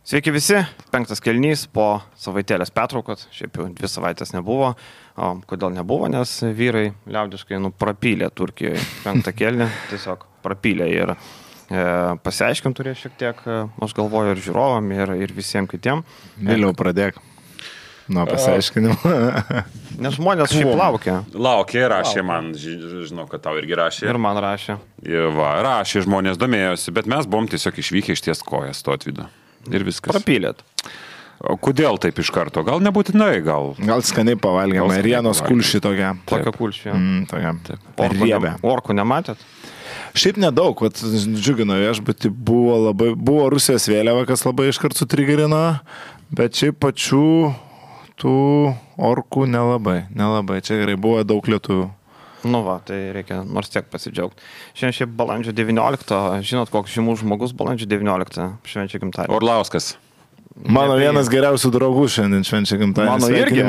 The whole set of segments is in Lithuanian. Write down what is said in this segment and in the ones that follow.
Sveiki visi, 5 kėlinys po savaitėlės pertraukos, šiaip jau 2 savaitės nebuvo. Kodėl nebuvo, nes vyrai liaudiškai prapylė Turkijoje 5 kėlinį, tiesiog prapylė ir pasiaiškint turėjo šiek tiek, aš galvoju, ir žiūrovam, ir visiems kitiem. Vėliau pradėk. Nuo pasiaiškinimo. Nes žmonės šiaip laukia. Laukia, rašė man, žinau, kad tau irgi rašė. Ir man rašė. Rašė, žmonės domėjosi, bet mes buvom tiesiog išvykę iš ties kojas to atvydo. Ir viskas. Prapylėt. O kodėl taip iš karto? Gal nebūtinai, gal skaniai pavalgėm. Rienos kulšį tokia. Tokia kulšį. Tokia. Riebė. Orkų nematėt? Šiaip nedaug, džiugino viešbutį, buvo Rusijos vėliava, kas labai iškart sutrigerino, bet šiaip pačių tų orkų nelabai. Čia gerai, buvo daug lietuvių. Nu va, tai reikia nors tiek pasidžiaugti. Šiandien šiaip balandžio 19, žinot, koks žymus žmogus balandžio 19 švenčia gimtadienį. Orlauskas. Mano vienas geriausių draugų šiandien švenčia gimtadienį. Mano irgi.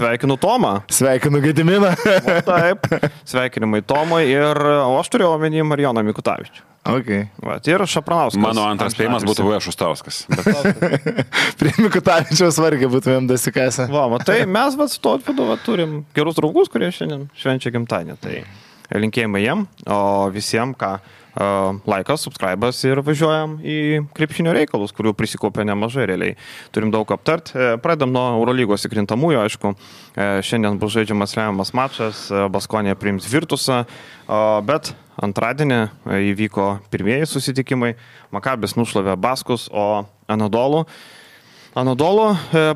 Sveikinu Tomą. Sveikinu Gediminą. Taip, sveikinimai Tomui ir aš turėjau omeny Marijoną Mikutavičių. Okay. Va, ir Šapranauskas. Mano antras spėjimas būtų V. Šustauskas. Prie Mikutavičiaus vargiai būtumėm dasikasę. Va, tai mes su to atvedu turim gerus draugus, kurie šiandien švenčia gimtadienį. Tai linkėjimai jiem, o visiems, ką laikas, subscribas ir važiuojam į krepšinio reikalus, kurių prisikopė nemažai realiai. Turim daug aptart. Pradedam nuo Eurolygos įkrintamųjų, aišku. Šiandien bus žaidžiamas lemiamas mačas, Baskonija priims Virtusą, bet antradienį įvyko pirmieji susitikimai. Makabis nušlavė Baskus, o Anadolu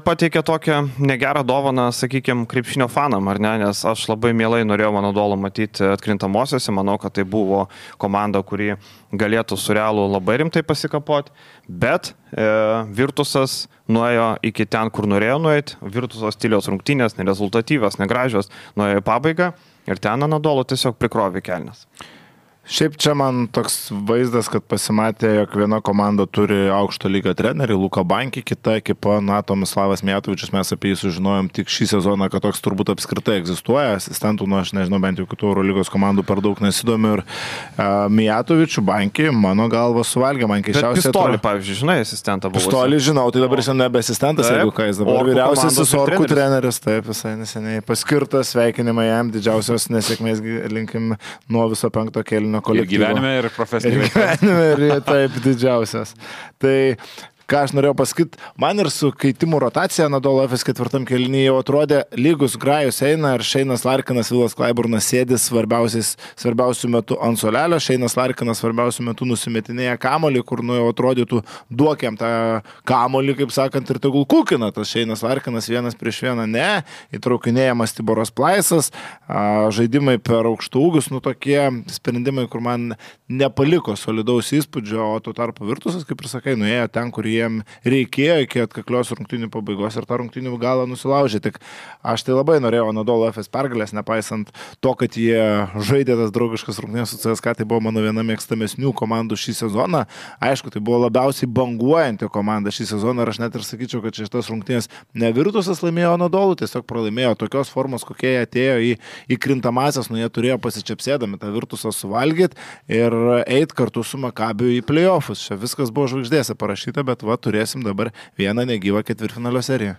pateikė tokią negerą dovaną, sakykime, krepšinio fanam, ar ne, nes aš labai mielai norėjau Anadolu matyti atkrintamosiose, manau, kad tai buvo komanda, kuri galėtų su Realu labai rimtai pasikapoti, bet Virtusas nuėjo iki ten, kur norėjo nueiti, Virtusos stiliaus rungtynės, nerezultatyvios, negražios, nuėjo į pabaigą ir ten Anadolu tiesiog prikrovė kelnes. Šiaip čia man toks vaizdas, kad pasimatė, jog viena komanda turi aukšto lygio trenerį, Luka Banki, kita ekipa, Tomislavas Mijatovičius, mes apie jį sužinojom tik šį sezoną, kad toks turbūt apskritai egzistuoja, asistentų, aš nežinau, bent jau kitų Eurolygos komandų per daug nesidomiu ir Mijatovičių Banki, mano galva, suvalgė man keičiausiai. Bet Pistolį, pavyzdžiui, žinai, asistentą buvo. Pistolį žinau, tai dabar jis nebe asistentas, jeigu ką jis dabar vyriausiasis Orkų treneris, taip, visai neseniai paskirtas, sveikinimai jam, didžiausios nesėkmės linkim nuo viso 5 kėlinio. Ir gyvenime, ir profesinėje. Ir gyvenime, ir taip didžiausias. Tai ką aš norėjau pasakyti, man ir su keitimų rotacija Anadolu Efes 4 kėlinyje jau atrodė lygus grajus eina ir Šeinas Larkinas, Vilas Klaiburnas sėdis svarbiausių metų ant solelio, Šeinas Larkinas svarbiausių metų nusimetinėja kamolį, kur jau atrodytų duokiam tą kamolį, kaip sakant, ir tegul kukina tas Šeinas Larkinas 1-1, ne, įtraukinėjamas Tiboras Plaisas, žaidimai per aukštų ūgius, tokie sprendimai, kur man nepaliko solidaus įspūdžio, o tuo tarpu Virtusas, kaip ir sakai, nuėjo ten, kur jiem reikėjo iki atkaklios rungtynių pabaigos ir tą rungtynių galą nusilaužė. Tik aš tai labai norėjau Anadolu Efes pergalės, nepaisant to, kad jie žaidė tas draugiškas rungtynės su CSKA, tai buvo mano viena mėgstamesnių komandų šį sezoną. Aišku, tai buvo labiausiai banguojanti komanda šį sezoną ir aš net ir sakyčiau, kad šitas rungtynės ne Virtusas laimėjo Anadolu, tiesiog pralaimėjo tokios formos, kokie jie atėjo į krintamasias, jie turėjo pasičiapsėdami tą Virtusą suvalgyti ir eit kartu su Makabiu į playoffus. Čia viskas buvo žvaigždėse parašyta, bet turėsim dabar vieną negyvą ketvirtfinalio seriją.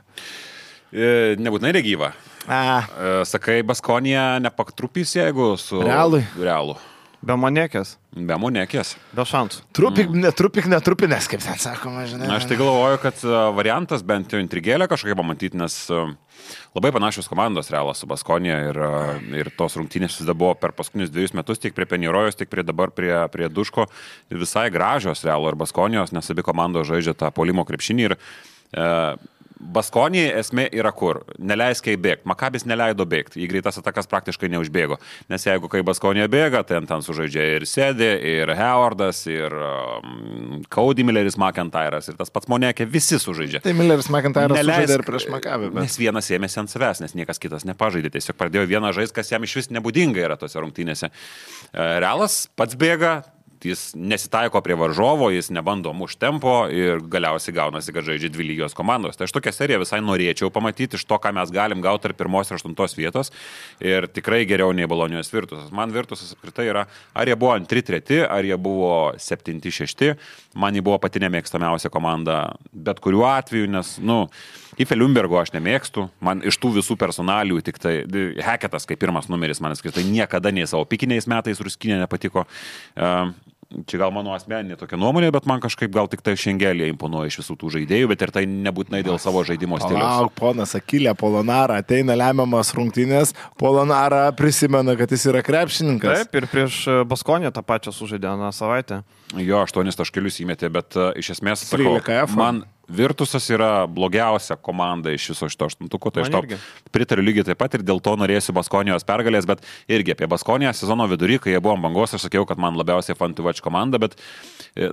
Nebūtinai negyvą. Sakai, Baskonija nepaktrupys, jeigu su Realu. Be Monekės. Be Monekės. Be šansų. Netrupinės, kaip ten sakoma, žinai. Aš tai galvoju, kad variantas bent jau intrigėlę kažkokią pamatyti, nes labai panašios komandos Realas su Baskonija ir tos rungtynės vis dar buvo per paskutinius 2 metus, tiek prie Penirojos, tiek dabar prie Duško, visai gražios Realo ir Baskonijos, nes abi komandos žaidžia tą puolimo krepšinį ir Baskonijai esmė yra kur? Neleisk jai bėgti. Makabis neleido bėgti. Į greitas atakas praktiškai neužbėgo. Nes jeigu kai Baskonija bėga, ten sužaidžia ir Sėdė, ir Howardas, ir Cody Milleris McIntyras, ir tas pats Monekė, visi sužaidžia. Tai Milleris McIntyras sužaidė ir prieš Makabį. Nes vienas ėmėsi ant savęs, nes niekas kitas nepažaidė. Tiesiog pradėjo vieną žaisti, kas jam iš vis nebūdinga yra tose rungtynėse. Realas pats bėga, jis nesitaiko prie varžovo, jis nebando mušti tempo ir galiausiai gaunasi, kad žaidžia dvi lygios komandos. Tai aš tokią seriją visai norėčiau pamatyti iš to, ką mes galim gauti tarp 1 ir 8 vietos ir tikrai geriau nei Bolonijos Virtusas. Man Virtusas apskritai yra, ar jie buvo 2-3, ar jie buvo 7-6, man jie buvo pati nemėgstamiausia komanda bet kuriuo atveju, nes, Ife Liumbergo aš nemėgstu, man iš tų visų personalių tik tai Heketas kaip pirmas numeris, man skirtai niekada nei savo pikiniais metais Ruskinė nepatiko. Čia gal mano asmeninė tokia nuomonė, bet man kažkaip gal tik tai Šengelė imponuoja iš visų tų žaidėjų, bet ir tai nebūtinai dėl savo žaidimo stiliaus. Palauk, ponas Akilė Polonara, ateina lemiamas rungtynės, Polonara prisimena, kad jis yra krepšininkas. Taip, ir prieš Baskonę tą pačią sužaidė aną savaitę. Jo, 8 taškelius įmetė, bet iš esmės, sakau, man Virtusas yra blogiausia komanda iš viso šito 8-tuko, tai aš tau pritariu lygiai taip pat ir dėl to norėsiu Baskonijos pergalės, bet irgi apie Baskoniją sezono vidurį, kai jie buvo ant bangos, aš sakiau, kad man labiausiai Fantuvač komanda, bet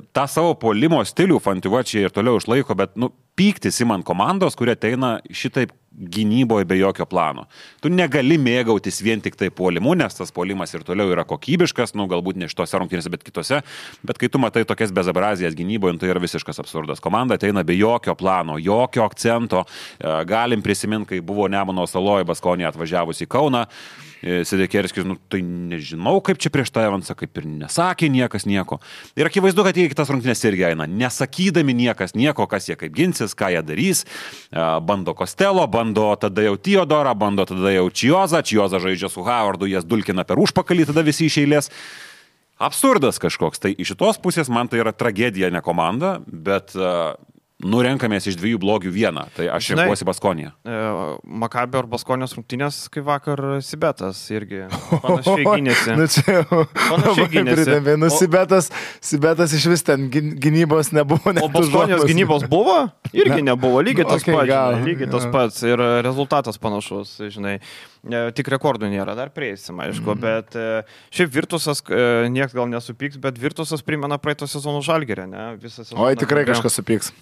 tą savo puolimo stilių Fantuvačiai ir toliau išlaiko, bet, pyktis į man komandos, kurie ateina šitaip gynyboje be jokio plano. Tu negali mėgautis vien tik tai puolimu, nes tas puolimas ir toliau yra kokybiškas, galbūt ne šitose rungtynėse, bet kitose, bet kai tu matai tokias bezabrazijas gynyboje, tai yra visiškas absurdas. Komanda ateina be jokio plano, jokio akcento. Galim prisiminti, kai buvo Nemuno Saloje Baskonija atvažiavusi į Kauną, Sidekerskis, tai nežinau, kaip čia prieš tą Evansą, kaip ir nesakė niekas nieko. Ir akivaizdu, kad jie kitas rungtynės irgi eina, nesakydami niekas nieko, kas jie kaip ginsis, ką jie darys. Bando Kostelo, bando tada jau Teodorą, bando tada jau Čiozą žaidžia su Howardu, jas dulkina per užpakalį, tada visi iš eilės. Absurdas kažkoks. Tai iš šitos pusės man tai yra tragedija, ne komanda, bet renkamės iš 2 blogių vieną. Tai aš renkuosi Baskoniją. Makabio ar Baskonijos rungtynės, kaip vakar Sibetas irgi panašiai gynėsi. Panašiai gynėsi. Sibetas iš vis ten gynybos nebuvo. O Baskonijos gynybos buvo? Irgi nebuvo. Lygiai tas pats. Lygiai tas pats. Ir rezultatas panašus, žinai. Tik rekordų nėra, dar prieisim, aišku, bet šiaip Virtusas, nieks gal nesupyks, bet Virtusas primena praeito sezono Žalgirį, ne? Oi, tikrai kažkas supyks.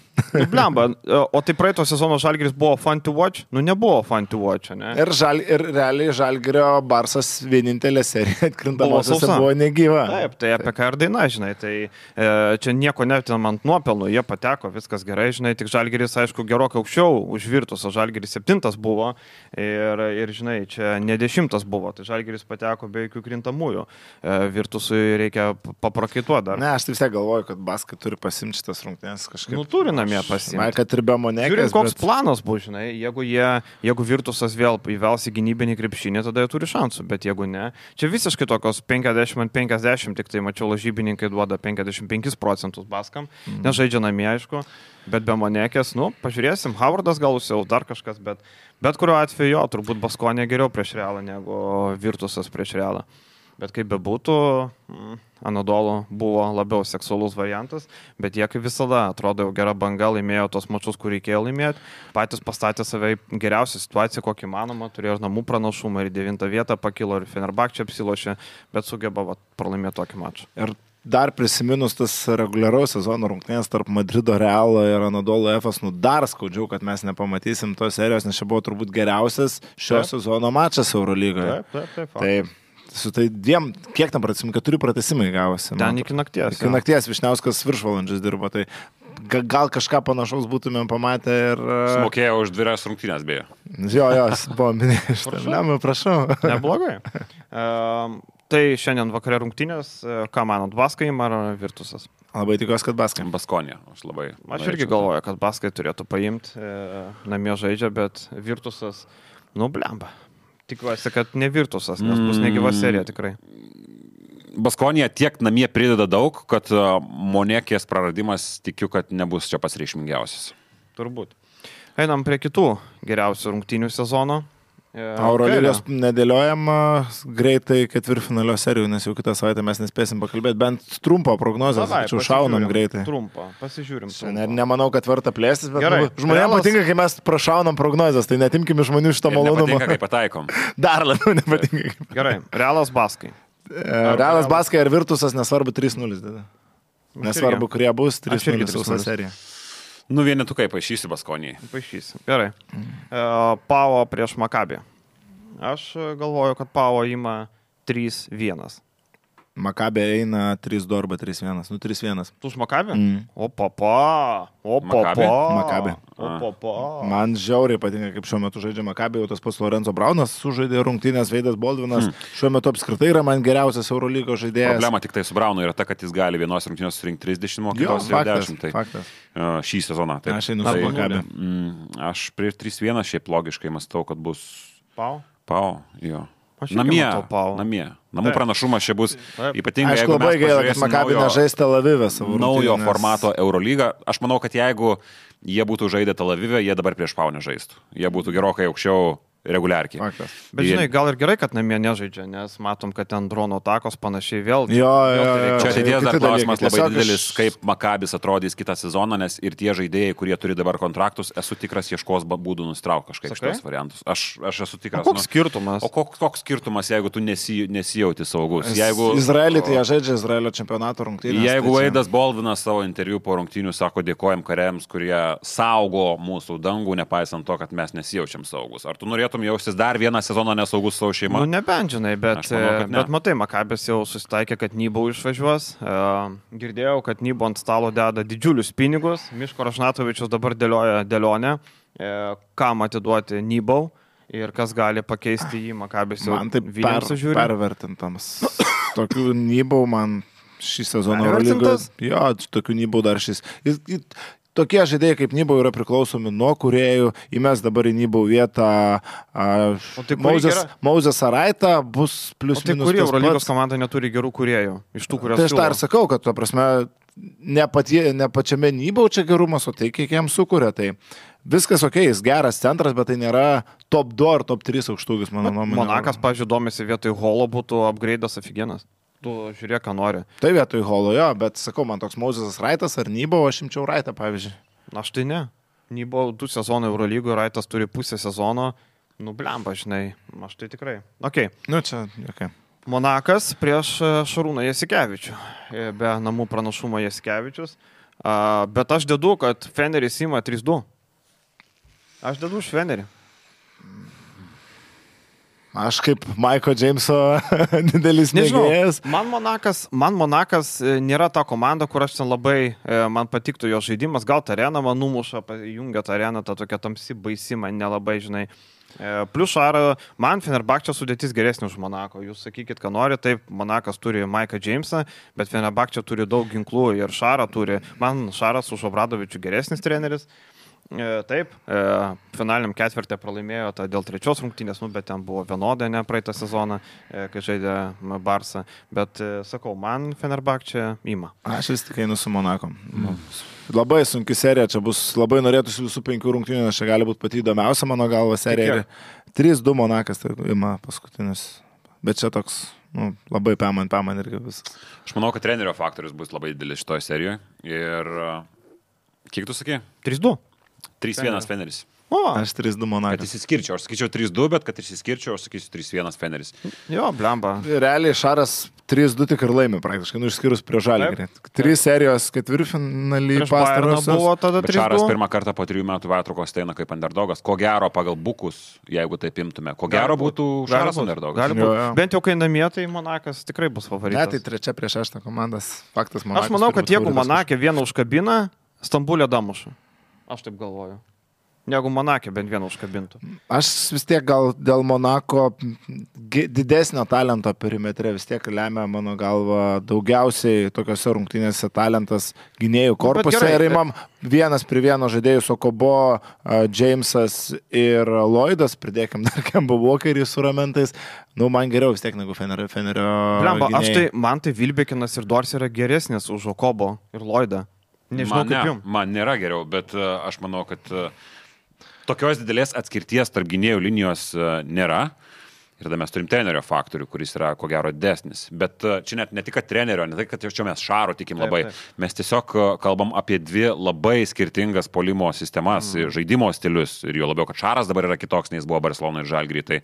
Blemba, o tai praeito sezono Žalgiris buvo fun to watch? Nebuvo fun to watch, ne? Ir realiai Žalgirio Barsas vienintelė serija atkrintamosiose buvo negyva. Taip, tai apie ką ir daina, žinai, tai čia nieko netinamant nuopelnų, jie pateko, viskas gerai, žinai, tik Žalgiris, aišku, gerokai aukščiau už Virtusą, Žalgiris 7 buvo ir žinai, čia ne 10 buvo, tai Žalgiris pateko be jokių krintamųjų. Virtusui reikia paprakaituoti dar. Ne, aš taip vis tiek galvoju, kad Baskai turi pasimti šitas rungtynės kažkaip. Turi namie pasimti. Man, kad ir be Monekės. Žiūrint, koks planas bus, žinai, jeigu Virtusas vėl įvels į gynybinį krepšinį, tada jie turi šansų, bet jeigu ne, čia visiškai tokios 50-50, tik tai mačiau, lažybininkai duoda 55% Baskam, nežaidžia namie, aišku. Bet be Monekės, pažiūrėsim, Howardas gal jau dar kažkas, bet kuriuo atveju jo, turbūt Baskonė geriau prieš Realą negu Virtusas prieš Realą. Bet kaip bebūtų, Anadolu buvo labiau seksualus variantas, bet jie kaip visada atrodo jau gera banga, laimėjo tos mačus, kur reikėjo laimėti, patys pastatė save į geriausią situaciją, kokį manoma, turėjo ir namų pranašumą, ir 9 vietą pakilo, ir Fenerbahčė apsilošė, bet sugeba pralaimėti tokį mačą. Ir dar prisiminus tas reguliaraus sezono rungtynės tarp Madrido Realo ir Anadolu Efes, dar skaudžiau, kad mes nepamatysim tos serijos, nes čia buvo turbūt geriausias šio sezono mačas Eurolygoje. Taip. Tai su tai dviem, kiek tam pratesimai, 4 pratesimai gavosi. Ten iki nakties. Iki nakties Višniauskas viršvalandžius dirbo, tai gal kažką panašaus būtumėm pamatę ir... Smokėjo už 2 rungtynės, beje. Jo, buvo minėjęs. Prašau. Neblogai. Tai šiandien vakare rungtynės, ką manot, Baskai ar Virtusas? Labai tikiuosi, kad Baskai. Baskonė. Aš irgi galvoju, kad Baskai turėtų paimti, namie žaidžia, bet Virtusas, blemba. Tikiuosi, kad ne Virtusas, nes bus negyva serija tikrai. Baskonija tiek namie prideda daug, kad Monekės praradimas tikiu, kad nebus čia pats reikšmingiausias. Turbūt. Einam prie kitų geriausių rungtynių sezono. Eurolygos nedėliojam greitai ketvirtfinalio serijų, nes jau kitą savaitę mes nespėsim pakalbėti, bent trumpą prognozę, tačiau šaunam greitai. Trumpą, pasižiūrim. Nemanau, kad verta plėstis, bet žmonėms patinka, kai mes prašaunam prognozes, tai netimkim iš žmonių šitą malonumą. Nepatinka, kai pataikom. Dar labiau nepatinka. Gerai, Realas Baskai. Realas Baskai ar Virtusas, nesvarbu 3-0. Nesvarbu, kurie bus 3-0 sausa serija. Vienetukai paaišysi Baskonijai. Paaišysi. Gerai. Pavo prieš Makabį. Aš galvoju, kad Pavo ima 3-1. Makabė eina 3-2 arba 3-1. 3-1. Tu už Makabį? O Maccabi? Maccabi. Man žiauriai patinka, kaip šiuo metu žaidžia Makabė, jau tas pats Lorenzo Braunas sužaidė rungtynės, Veidas Baldvinas. Šiuo metu apskritai yra man geriausias Eurolygos žaidėjas. Problema tik tai su Braunu yra ta, kad jis gali vienos rungtynės surinkti 30, o kitos 10. Tai Faktas. Šį sezoną. Tai, Aš einu su Makabė. Aš prieš 3-1 šiaip logiškai mąstau, kad bus Pau, jo. Namie. Namų pranašumas čia bus ypatingai. Aš labai gaila, kad Makabė nežais Tel Avive savo naujo formato Eurolygą. Aš manau, kad jeigu jie būtų žaidę Tel Avive, jie dabar prieš Pau nežaistų. Jie būtų gerokai aukščiau reguliarkiai. Faktas. Bet žinai, gal ir gerai, kad namie nežaidžia, nes matom, kad ten drono takos panašiai vėl. Jo. Čia ateities dar klausimas labai didelis, kaip Makabis atrodys kitą sezoną, nes ir tie žaidėjai, kurie turi dabar kontraktus, esu tikras, ieškos būdų nustraukti kažkaip šitos variantus. Aš esu tikras. Koks skirtumas? O koks skirtumas, jeigu tu nesijauti saugus? Izraelį tai jie žaidžia Izraelio čempionato rungtynės. Jeigu Veidas Baldvinas savo interviu po rungtynių sako, dėkojam kariams, kurie saugo mūsų dangų, nepaisant to, kad mes nesijaučiam saugus. Ar tu norėtum jaustis dar vieną sezoną nesaugus savo šeimą? Nu, nebent, žinai, bet matai, Makabis jau susitaikė, kad Nybau išvažiuos. Girdėjau, kad Nybau ant stalo deda didžiulius pinigus. Miško Rašnatovičius dabar dėlioja dėlionę, kam atiduoti Nybau ir kas gali pakeisti jį. Makabis jau Vilnius žiūri. Pervertintams. Tokių Nybau man šį sezoną Eurolygos. Jo, tokių Nybau dar šis. Tokie žaidėjai kaip Nybau yra priklausomi nuo kūrėjų. Įmes dabar į Nybau vietą Mauzės Araitą bus plius minus. Tai kuri Eurolygos komanda neturi gerų kūrėjų? Iš tų, kurios tai aš tą ir sakau, kad, to prasme, ne pačiame Nybau čia gerumas, o tai kiek jam sukuria. Tai viskas ok, jis geras centras, bet tai nėra top 2 ar top 3 aukštūgis, mano nuomonė. Monakas, pavyzdžiui, domisi vietoj Holo būtų upgrade'as aфиgenas. Tu žiūrėk, ką nori. Tai vietoj Holo, jo, bet sakau, man toks Mauzės Raitas ar Nybau, aš imčiau Raitą, pavyzdžiui. Aš tai ne. Nybau 2 sezonai Eurolygoje, Raitas turi pusę sezono. Nu, blemba, žinai. Aš tai tikrai. Okay. Nu, čia, okay. Monakas prieš Šarūną Jasikevičių. Be namų pranašumo Jasikevičius. Bet aš dedu, kad Feneris ima 3-2. Aš dedu už Fenerį. Aš kaip Maiko Džeimso didelis mėgėjas. Man Monakas nėra ta komanda, kur aš ten labai, man patiktų jo žaidimas. Gal tą areną man numuša, jungia tą areną, tą tokia tamsi baisi, man nelabai, žinai. Plius Šarą, man Fenerbahčė sudėtis geresnė už Monako. Jūs sakykit, ką nori, taip, Monakas turi Maiką Džeimsą, bet Fenerbahčė turi daug ginklų ir Šarą turi. Man Šaras už Obradovičių geresnis treneris. Taip, finaliniam ketvirtį pralaimėjo dėl 3 rungtynės, bet ten buvo vienodai, ne praeitą sezoną, kai žaidė Barsą. Bet, sakau, man Fenerbahčė ima. Aš vis tik einu su Monako. Labai sunki serija, čia bus, labai norėtųsi visų 5 rungtynių, nes čia gali būti pati įdomiausia mano galva serija. 3-2 Monakas tai ima paskutinis. Bet čia toks, labai paman irgi viskas. Aš manau, kad trenerio faktorius bus labai didelis šitoje serijoje. Ir kiek tu sakei? 3-2. 3-1 Feneris. Aš 3-2 Monakas. Kad išsiskirčiau, aš sakyčiau 3-2, bet kad išsiskirčiau, aš sakysiu 3-1 Feneris. Jo, blemba. Realiai Šaras 3-2 tik ir laimi praktiškai, išskyrus prie Žalgirį. 3 serijos ketvirtfinalį pastarosios. Bet Šaras pirmą kartą po 3 metų pertraukos eina kaip underdogas. Ko gero pagal bukus, jeigu taip imtume, ko gero būtų Šaras underdogas. Bent jau kai namie, tai Monakas tikrai bus favoritas. Ne, tai 3 prieš 6 komandas. Faktas Monakas. Aš manau, kad jeigu Monake vieną užkabina, Stambulė damuša. Aš taip galvoju. Negu Monake bent vieną užkabintų. Aš vis tiek gal dėl Monako didesnio talento perimetre vis tiek lemia mano galva daugiausiai tokiuose rungtynėse talentas gynėjų korpuse. Ir imam 1-1 žaidėjus Okobo, Džeimsas ir Lloydas, pridėkim dar Kemba Walkerį su ramentais. Man geriau vis tiek negu Fenerio gynėjai. Man tai Vilbekinas ir Dors yra geresnis už Okobo ir Lloydą. Nežinau, kaip jums. Man nėra geriau, bet aš manau, kad tokios didelės atskirties tarp gynėjų linijos nėra. Ir tada mes turim trenerio faktorių, kuris yra, ko gero, desnis. Bet čia net ne tik trenerio, ne tai, kad čia mes Šaro tikim labai. Taip. Mes tiesiog kalbam apie 2 labai skirtingas puolimo sistemas, žaidimo stilius. Ir jo labiau, kad Šaras dabar yra kitoks, nei jis buvo Barcelona ir Žalgiry. Tai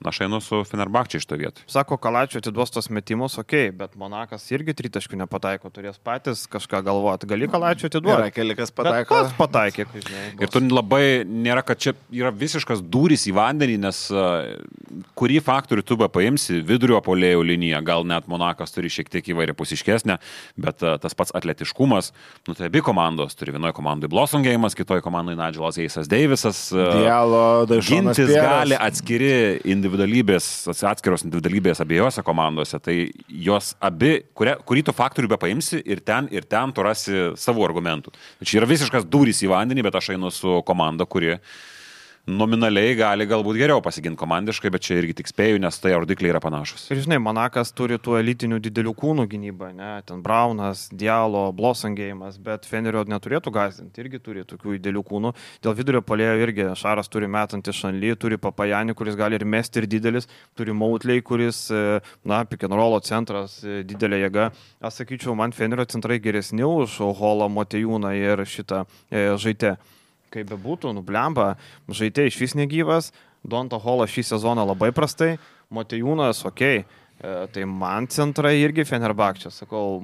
aš einu su Fenerbahčė iš to vietų. Sako, Kalačiu atiduos tos metimus, bet Monakas irgi 3 taškų nepataiko, turės patys kažką galvoti. Gali Kalačiu atiduoti? Yra kelikas pataiko. Pats pataikė. Ir tu labai nėra, kad čia yra visiškas dūris į vandenį, nes kurį faktorių tu paimsi, vidurio puolėjų liniją, gal net Monakas turi šiek tiek įvairiapusiškesnę, bet tas pats atletiškumas, nu tai abi komandos turi, vienoje komandoje Blossom Game'as, kitoje komandoje Nigelas Eisas Davisas. Dialo, Daišonas gintis Pieras. gali atskiros individualybės abiejose komandose, tai jos abi, kurį tu faktorių paimsi ir ten tu rasi savų argumentų. Čia yra visiškas durys į vandenį, bet aš einu su komanda, kuri nominaliai gali galbūt geriau pasiginti komandiškai, bet čia irgi tik spėju, nes tai rodikliai yra panašus. Ir žinai, Monakas turi tų elitinių didelių kūnų gynybą, ne? Ten Braunas, Dialo, Blossom Game'as, bet Fenerio neturėtų gąsdinti, irgi turi tokių didelių kūnų. Dėl vidurio puolėjo irgi Šaras turi metantį Šanly, turi Papajanį, kuris gali ir mesti ir didelis, turi Mautley, kuris, pick and rollo centras, didelė jėga. Aš sakyčiau, man Fenerio centrai geresni už Holą, Motejūną ir šitą Žaitę. Kaip bebūtų, nublemba, Žaitė iš vis negyvas, Donta Holas šį sezoną labai prastai, Motejūnas, okei, tai man centrai irgi Fenerbahčė, sakau,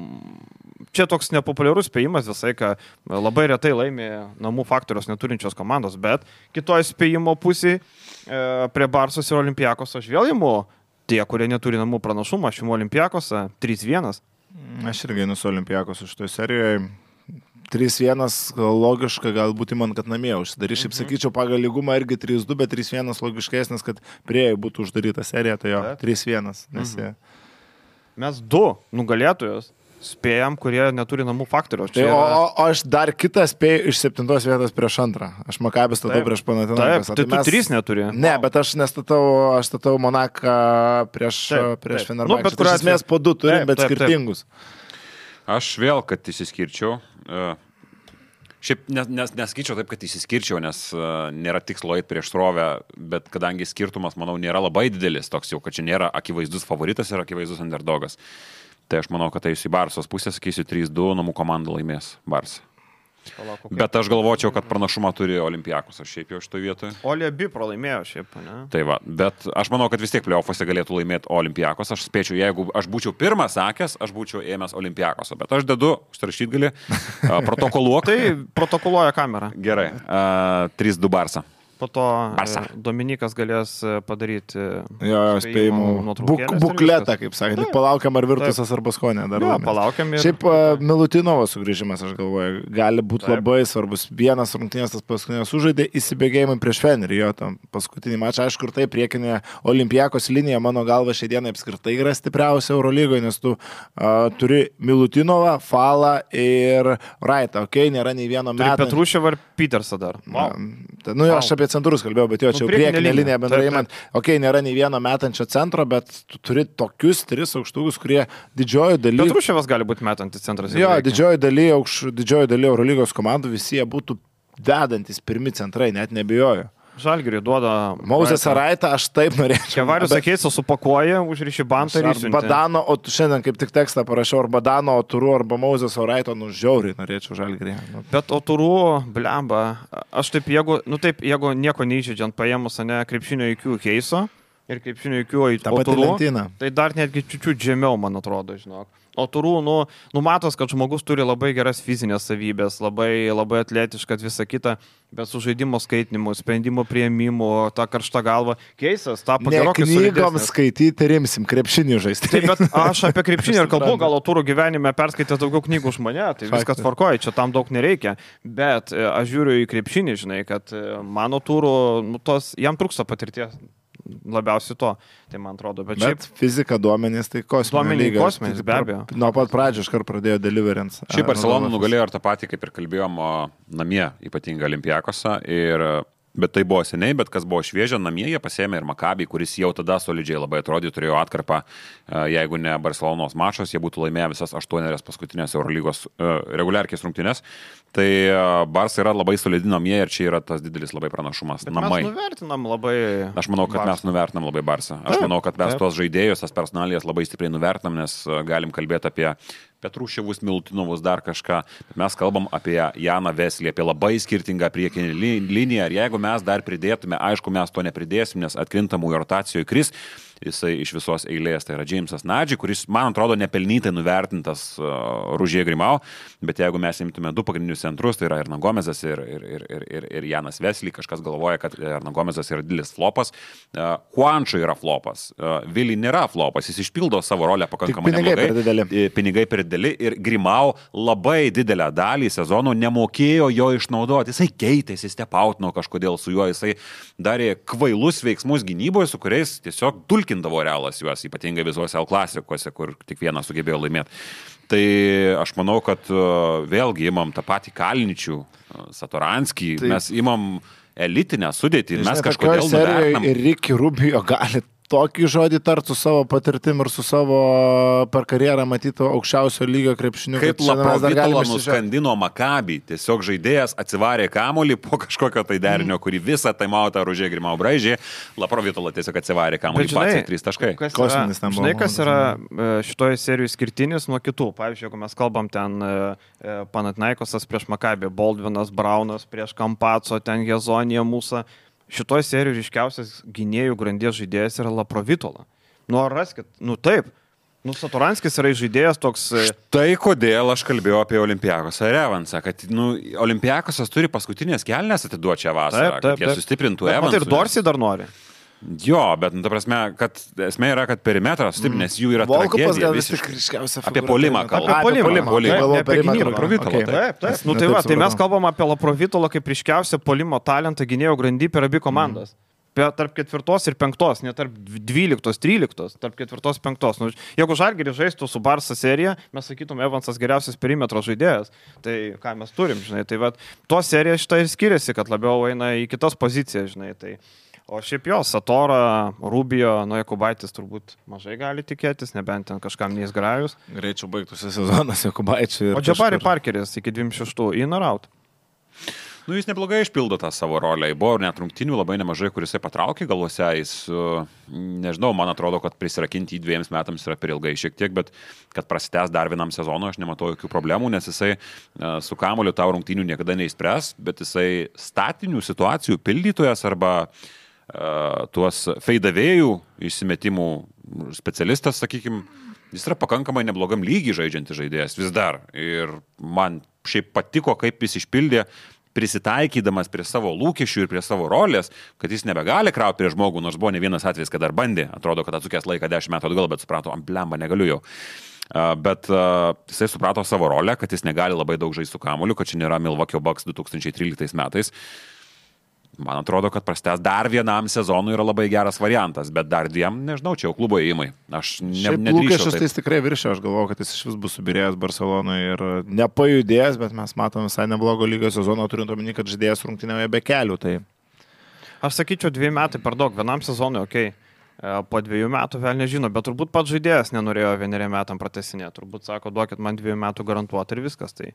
čia toks nepopuliarus spėjimas visai, kad labai retai laimė namų faktorius neturinčios komandos, bet kitoje spėjimo pusėje prie Barsos ir Olimpiakos aš vėl imu tie, kurie neturi namų pranašumą, aš imu Olimpiakosą 3-1. Aš irgi einu su Olimpiakos iš toje serijoje. 3-1 logiška, galbūt man, kad namie užsidarys. Šiaip sakyčiau, pagal lygumą irgi 3-2, bet 3-1 logiškesnis, kad prie būtų uždaryta serija, tai jo, 3-1. Nes Mes 2 nugalėtojus spėjam, kurie neturi namų faktorių. Tai, o aš dar kitą spėjau iš 7 vietos prieš 2. Aš Makabį statau prieš Panathinaikos. Tai tu 3 neturi. Ne, bet aš statau Monaką prieš Fenerbahčę. Bet iš esmės po 2 turim, bet skirtingus. Aš vėl, kad įsiskirčiau. Šiaip nesakyčiau taip, kad įsiskirčiau, nes nėra tikslo eiti prieš srovę, bet kadangi skirtumas, manau, nėra labai didelis, toks jau, kad čia nėra akivaizdus favoritas ir akivaizdus underdogas. Tai aš manau, kad eisiu į Barsos pusę, sakysiu 3-2, namų komanda laimės Barsa. Bet aš galvočiau, kad pranašumą turi Olimpiakos, aš šiaip jau šitoje vietoje. Oli abi pralaimėjo šiaip, ne? Tai va, bet aš manau, kad vis tiek play-offuose galėtų laimėti Olimpiakos. Aš spėčiau, jeigu aš būčiau pirmas sakęs, aš būčiau ėmęs Olimpiakosą. Bet aš dedu, užsirašyt gali, protokoluok. Tai protokoluoja kamera. Gerai, 3-2 Barsa. Po to Dominikas galės padaryti spėjimų bukletą, kaip sakė. Palaukiam, ar Virtusas ar Baskonė dar. Palaukiam. Šiaip Milutinovo sugrįžimas, aš galvoju, gali būti labai svarbus. Vienas rungtynės tas paskutinės sužaidė įsibėgėjimai prieš Fenerį, jo tam paskutinį mačą. Aišku, ir tai priekinė Olimpiakos linija, mano galva, šią dieną apskritai yra stipriausia Eurolygoje, nes tu turi Milutinovą, Falą ir Wrightą. Nėra nei vieno meto. Petruševą ir Petersą dar. Aš apie centrus kalbėjau, bet jo, čia jau priekinė linija bendrai imant. Nėra nei vieno metančio centro, bet tu turi tokius 3 aukštukus, kurie didžioji daly... Petruševas gali būti metantis centras. Jo, didžioji daly Eurolygos komandų visi jie būtų vedantis pirmi centrai, net nebijoju. Žalgiriui duoda... Mauzes Araitą aš taip norėčiau. Kevarius Akeisą supakuoja, užriši bantą ir išsiuntė. Badano, o šiandien kaip tik tekstą parašiau, ar Badano, Oturu, arba Mauzes Araito, žiauriai norėčiau Žalgirį. Bet Oturu, blemba, aš taip, jeigu nieko neįžydžiant paėmus, ne, krepšinio IQ Keiso ir krepšinio IQ Oturu, tai dar netgi čiučiut žemiau, man atrodo, žinok. O turų, numatos, kad žmogus turi labai geras fizinės savybės, labai, labai atletiškas, visą kitą, bet su žaidimo skaitinimu, sprendimo prieimimu, ta karšta galva. Keisas, tapo gerokai solidesnis. Knygoms skaityti rimsim, krepšinį žaisti. Taip, bet aš apie krepšinį ir kalbu, gal turų gyvenime perskaitęs daugiau knygų už mane, tai viskas tvarkoja, čia tam daug nereikia. Bet aš žiūriu į krepšinį, žinai, kad mano turų, jam trūksta patirties. Labiausiai to, tai man atrodo. Bet šiaip fizika, duomenys, tai kosminis, be abejo. Nuo pat pradžių iškart pradėjo deliverance. Šiaip Barcelona nugalėjo ir tą patį, kaip ir kalbėjom, namie ypatingai Olimpiakosą. Bet tai buvo seniai, bet kas buvo šviežia, namie jie pasėmė ir Makabį, kuris jau tada solidžiai labai atrodė, turėjo atkarpą, jeigu ne Barcelonos mačas, jie būtų laimėję visas 8 paskutinės Eurolygos reguliarkės rungtynės. Tai Barça yra labai solidi namie ir čia yra tas didelis labai pranašumas. Namai. Mes nuvertinam labai... Aš manau, kad mes nuvertinam labai Barça. Aš manau, kad mes tuos žaidėjus, tas personalijas labai stipriai nuvertinam, nes galim kalbėti apie Petruševus, Milutinovus, dar kažką. Bet mes kalbam apie Janą Veslį, apie labai skirtingą priekinį liniją. Ir jeigu mes dar pridėtume, aišku, mes to nepridėsim, nes atkrintamųjų rotacijoje kris, jisai iš visos eilės, tai yra Jamesas Nadži, kuris, man atrodo, nepelnytai nuvertintas Ružė Grimau, bet jeigu mes imtume du pagrindinius centrus, tai yra Erna Gomezas ir Janas Vesly, kažkas galvoja, kad Erna Gomezas yra didelis flopas, Juančio yra flopas, Vili nėra flopas, jis išpildo savo rolę pakankamai neblogai. Pinigai per dideli ir Grimau labai didelę dalį sezono nemokėjo jo išnaudoti. Jisai keitėsi, stepautino kažkodėl su juo, jisai darė kvailus veiksmus gynyboje, su kuriais tiesiog dulkindavo Realas juos, ypatingai visuose L klasikuose, kur tik vienas sugebėjo laimėti. Tai aš manau, kad vėlgi imam tą patį Kalničių, Satoranskį, mes imam elitinę sudėtį, mes kažkodėl nuvertinam. Ir Ricky Rubio gali tokį žodį tart su savo patirtim ir su savo per karjerą matyto aukščiausio lygio krepšiniu. Kaip Laprovitola nuskandino Maccabi, tiesiog žaidėjas atsivarė kamuolį po kažkokio tai derinio, kurį visą taimautą Ružė Grimau braižė, Laprovitola tiesiog atsivarė kamuolį pats į 3 taškai. Žinai, kas yra šitoje serijoje skirtinis nuo kitų. Pavyzdžiui, jeigu mes kalbam ten Panathinaikosas prieš Maccabi, Baldvinas, Braunas prieš Kampaco, ten Hezonija, Musa. Šitoje serijoje ryškiausias gynėjų grandies žaidėjas yra Laprovitola. Nu, ar raskit? Nu, taip. Nu, Satoranskis yra žaidėjas toks... Štai kodėl aš kalbėjau apie Olimpiakosą ir Evansą, kad Olimpiakosas turi paskutinės kelnes atiduoti šią vasarą, kad jie sustiprintų Evansą. Ir Dorsey dar nori. Jo, bet, ta prasme, kad esmė yra, kad perimetras stiprinės jų yra tragedija. Apie polimą kalbą. Apie gynybą. Taip. Nu, tai va, tai mes kalbam apie Laprovitolą kaip ryškiausią polimo talentą gynėjo grandy per abi komandas. Tarp 4 ir 5, ne tarp 12, 13, tarp 4 ir 5. Nu, jeigu Žalgiris žaistų su Barsa serija, mes sakytum, Evansas geriausias perimetro žaidėjas. Tai ką mes turim, žinai. Tai va, to serija šitą ir skiriasi, kad labiau eina į kitas pozicijas, žinai. Tai... O šiaip jo, Satora, Rubio, nu Jakubaitis turbūt mažai gali tikėtis, nebent ten kažkam neįsgrajus. Greičiau baigtųsi sezonas Jakubaičiui. O Jabari Parkeris iki 26 in or out. Nu, jis neblogai išpildo tą savo rolę. Buvo net rungtynių labai nemažai, kuris jisai patraukė galvose. Jis, nežinau, man atrodo, kad prisirakinti į 2 metams yra per ilgai šiek tiek, bet kad prasitęs dar vienam sezonui, aš nematau jokių problemų, nes jisai su kamuoliu tau rungtynių niekada neįspręs, bet jisai statinių situacijų pildytojas arba tuos feidavėjų išsimetimų specialistas, sakykime, jis yra pakankamai neblogam lygiai žaidžiantis žaidėjas vis dar. Ir man šiaip patiko, kaip jis išpildė, prisitaikydamas prie savo lūkesčių ir prie savo rolės, kad jis nebegali krauti prie žmogų, nors buvo ne vienas atvejis, kad dar bandė. Atrodo, kad atsukęs laiką 10 metų atgal, bet suprato, blemba, negaliu jau. Bet jisai suprato savo rolę, kad jis negali labai daug žaisti su kamuoliu, kad čia nėra Milwaukee Bucks 2013 metais. Man atrodo, kad prastęs dar vienam sezonui yra labai geras variantas, bet dar 2, nežinau, čia jau klubo įimai. Aš nedrįšiu. Tai jis tikrai viršė, aš galvoju, kad jis iš vis bus subirėjęs Barcelonoje ir nepajudėjęs, bet mes matome visai neblogo lygio sezono, turint omeny, kad žaidėjas rungtynėje be kelių. Tai... Aš sakyčiau, 2 metai per daug, vienam sezonui, okei. Po 2 metų vėl nežino, bet turbūt pats žaidėjas nenorėjo 1 metam pratesinėti. Turbūt sako, duokit man 2 metų garantuoti ir viskas. Tai...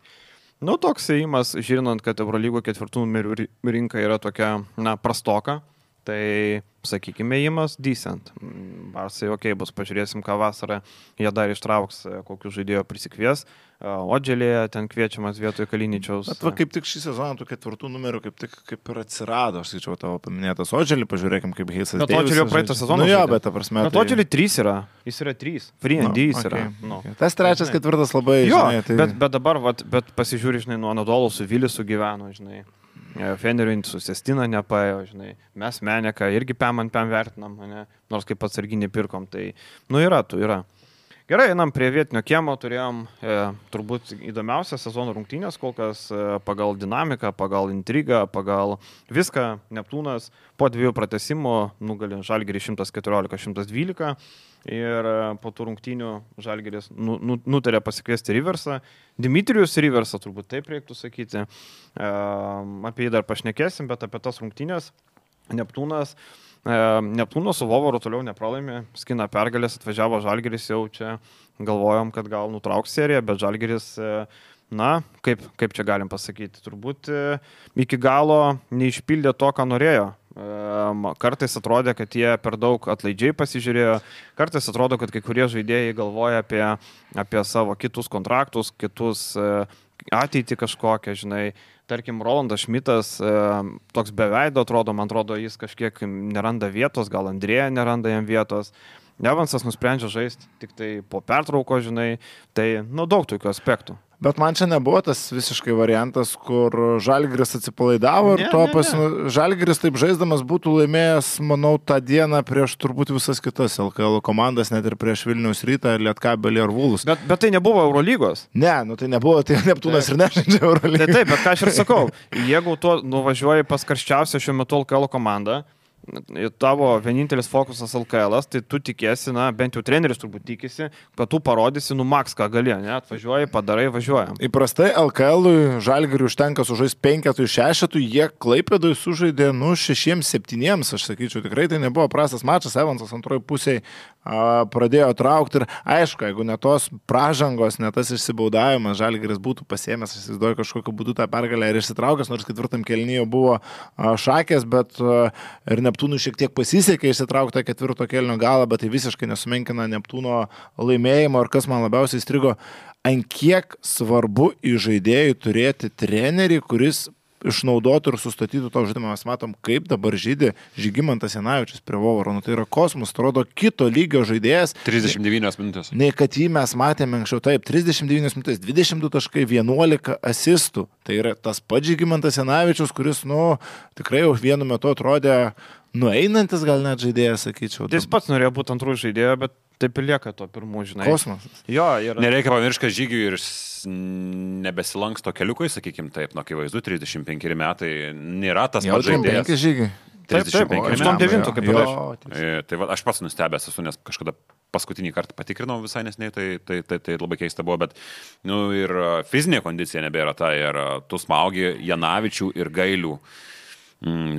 Nu, toks įėjimas, žinant, kad Eurolygo 4 numerių rinka yra tokia, na, prastoka, tai, sakykime, įėjimas decent. Barsai, bus, pažiūrėsim, ką vasarą jie dar ištrauks, kokių žaidėjo prisikvies. Odželėje ten kviečiamas vietoj Kaliničiaus. Bet va, kaip tik šį sezoną tų 4 numerių kaip ir atsirado, aš skaičiau tavo paminėtas Odželį, pažiūrėkim, kaip Heisas Deivisas. Bet Odželio praeitą sezoną. Nu jo, bet ta prasme. Bet Odželį 3 yra, jis yra 3, free and D jis yra. No. Tas 3, 4 labai, jo, žinai. Tai... Bet dabar, bet pasižiūri, žinai, nuo Anadolo su Vilisu gyveno, žinai. Feneriui su Sestina nepaėjo, žinai. Mes Meneką irgi pem vertinam, ne? Nors kaip atsarginį pirkom, tai, nu yra. Gerai, einam prie vietinio kiemo, turėjom turbūt įdomiausią sezono rungtynės, kol kas pagal dinamiką, pagal intrigą, pagal viską. Neptūnas po 2 pratesimų nugalė Žalgirį 114-112 ir po tų rungtynių Žalgiris nutarė pasikviesti Riversą. Dmitrijus Riversą, turbūt taip reiktų sakyti. Apie jį dar pašnekėsim, bet apie tas rungtynės Neptūno su Vovaru toliau nepralaimė, skina pergalės, atvažiavo Žalgiris, jau čia galvojom, kad gal nutrauks seriją, bet Žalgiris, na, kaip čia galim pasakyti, turbūt iki galo neišpildė to, ką norėjo. Kartais atrodė, kad jie per daug atlaidžiai pasižiūrėjo, kartais atrodo, kad kai kurie žaidėjai galvoja apie savo kitus kontraktus, kitus ateitį kažkokią, žinai. tarkim, Rolandas Šmitas toks beveido atrodo, man atrodo, jis kažkiek neranda vietos, gal Andrėja neranda jam vietos. Evansas nusprendžia žaisti tik tai po pertrauko, žinai, tai, daug tokių aspektų. Bet man čia nebuvo tas visiškai variantas, kur Žalgiris atsipalaidavo ir Žalgiris taip žaisdamas būtų laimėjęs, manau, tą dieną prieš turbūt visas kitas LKL komandas, net ir prieš Vilniaus Rytą, Lietkabelį ar Vulus. Bet tai nebuvo Eurolygos. Ne, tai nebuvo, tai Neptūnas ir nežaidžia Eurolygos. Taip, bet ką aš ir sakau, jeigu tu nuvažiuoji pas karščiausią šiuo metu LKL komandą, tavo vienintelis fokusas LKL, tai tu tikėsi, bent jau treneris turbūt tikisi, kad tu parodysi, maks ką gali, atvažiuoji, padarai, važiuojam. Įprastai LKL-ui Žalgiriui užtenka sužaisti 5-6, jie Klaipėdui sužaidė 6-7, aš sakyčiau, tikrai tai nebuvo prastas mačas, Evansas antroji pusėje pradėjo traukti ir aišku, jeigu ne tos pražangos, ne tas išsibaudavimas, Žalgiris būtų pasiėmęs, aš įsivaizduoju, kažkokiu būdu tą pergalę ir išsitraukęs, nors ketvirtam kėlinyje buvo šakės, bet ir Neptūnui šiek tiek pasisekė išsitraukti ketvirto kėlinio galą, bet tai visiškai nesumenkina Neptūno laimėjimo ir kas man labiausiai įstrigo, ant kiek svarbu į žaidėjų turėti trenerį, kuris išnaudotų ir sustatytų to žaidimą. Mes matom, kaip dabar žaidė Žygimantas Janavičius prie Vovaro. Tai yra kosmos, atrodo, kito lygio žaidėjas. 39 minutės. Nei kad jį mes matėme anksčiau. Taip, 39 minutės, 22 taškai, 11 asistų. Tai yra tas pats Žygimantas Janavičius, kuris, tikrai jau vienu metu atrodė nueinantis gal net žaidėjas, sakyčiau. Jis pats norėjo būti antrų žaidėjo, bet taip ir lieka to pirmų, žinai. Kosmosas. Jo, Nereikia pamiršti, kad Žygiui ir nebesilanksto keliukai, sakykim taip, akivaizdu, 35 metai nėra tas pats žaidėjas. 35 Žygiui. 89 kaip ir aš. Tai aš pats nustebęs esu, nes kažkada paskutinį kartą patikrinau visai nesnei, tai labai keista buvo, bet ir fizinė kondicija nebėra ta, ir tu smaugi Janavičių ir Gailių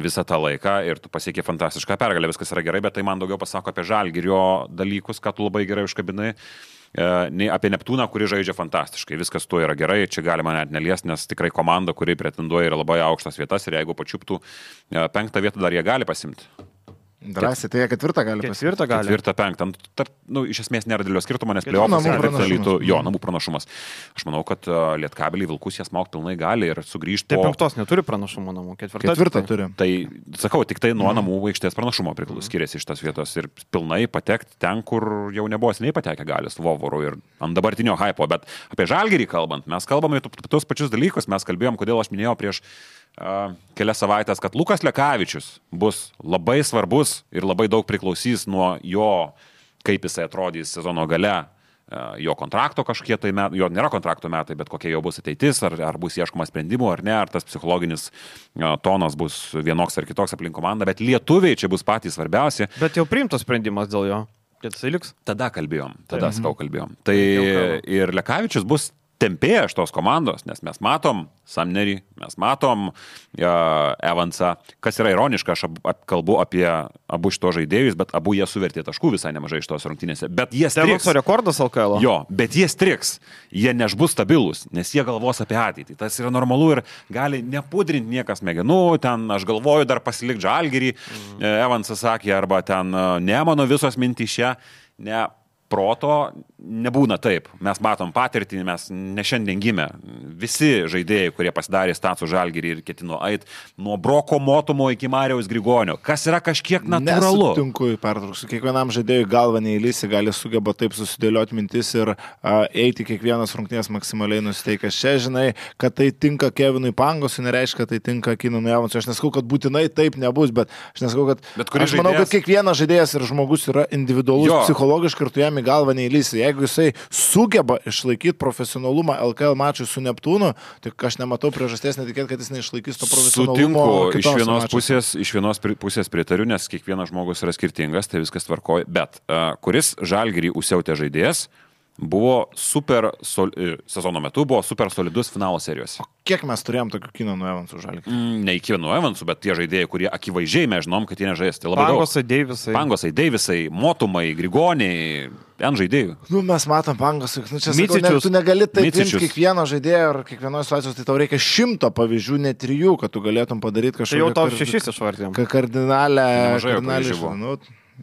visą tą laiką ir tu pasiekė fantastišką pergalę, viskas yra gerai, bet tai man daugiau pasako apie Žalgirio dalykus, ką tu labai gerai užkabinai, nei apie Neptūną, kuri žaidžia fantastiškai. Viskas tuo yra gerai, čia galima net neliesti, nes tikrai komanda, kuri pretenduoja, yra labai aukštas vietas ir jeigu pačiuptų 5 vietą, dar jie gali pasimti. Drąsiai, tai jie 4 gali pasimti. 4-5. Iš esmės nėra didelio skirtumo, nes play-off'as namų pranašumas. Aš manau, kad Lietkabelį Vilkus jas mauk pilnai gali ir sugrįžti. Taip, 5 neturi pranašumo namų, 4 turi. Tai, sakau, tik tai nuo namų aikštės pranašumo skiriasi iš tas vietos ir pilnai patekti ten, kur jau nebuvo seniai patekę gali su Vovoru ir ant dabartinio hypo. Bet apie Žalgirį kalbant, mes kalbame tos pačius dalykus, mes kalbėjom, kodėl aš minėjau prieš kelias savaitės, kad Lukas Lekavičius bus labai svarbus ir labai daug priklausys nuo jo, kaip jisai atrodys sezono gale, jo kontrakto kažkiek tai metai, jo nėra kontrakto metai, bet kokia jo bus ateitis, ar bus ieškoma sprendimų ar ne, ar tas psichologinis tonas bus vienoks ar kitoks aplink komandą, bet lietuviai čia bus patys svarbiausi. Bet jau priimtas sprendimas dėl jo, kad jisai liks? Tada kalbėjom. Tai ir Lekavičius bus tempėja iš tos komandos, nes mes matom Sumnerį, mes matom Evansą, kas yra ironiška, aš kalbu apie abu šito žaidėjus, bet abu jie suvertė taškų visai nemažai iš tos rungtynėse. Bet jie striks. Evanso rekordas LKL. Jo, bet jie striks. Jie nebus stabilus, nes jie galvos apie ateitį. Tas yra normalu ir gali nepudrinti niekas smegenų, ten aš galvoju dar pasilikti Žalgirį, Evansas sakė, arba ten ne mano visos mintys čia, ne. Proto nebūna taip. Mes matom patirtį, mes ne šiandien gimę. Visi žaidėjai, kurie pasidarė Statsų Žalgirį ir ketino eit nuo Broko Motumo iki Marijaus Grigonio. Kas yra kažkiek natūralu. Nesutinku, pertrauksiu. Kiekvienam žaidėjui galva neįlysi, gali sugeba taip susidėlioti mintis ir eiti kiekvienas rungtynės maksimaliai nusiteikęs. Čia žinai, kad tai tinka Kevinui Pangosui, nereiškia, kad tai tinka Kinanui Evansui. Aš nesakau, kad būtinai taip nebus, bet aš nesakau, kad aš manau, kad kiekvienas žaidėjas ir žmogus yra individualus psichologiškai ir tu jam galva neįlysi. Jeigu jisai sugeba išlaikyti profesionalumą LKL mačui su Neptūnu, tai aš nematau priežasties netikėti, kad jis neišlaikys to profesionalumo. Sutinku, iš vienos pusės pritariu, nes kiekvienas žmogus yra skirtingas, tai viskas tvarkoja, bet kuris Žalgirį užsiautė žaidėjas, buvo sezono metu buvo super solidus finalo serijos. O kiek mes turėjom tokių Kinanų Evansų Žalgirį? Ne Kinanų Evansų, bet tie žaidėjai, kurie akivaizdžiai mes žinom, kad jie nežais. Tai labai Pangosai, Deivisai, Motumai, Grigoniai, ten žaidėjų. Mes matom Pangosai. Čia sakau, tu negali taip imti kiekvieno žaidėjo ir kiekvienos situacijos, tai tau reikia 100 pavyzdžių, ne 3, kad tu galėtum padaryti kažką. Tai jau tau 6 išvardėm. Kardinalę.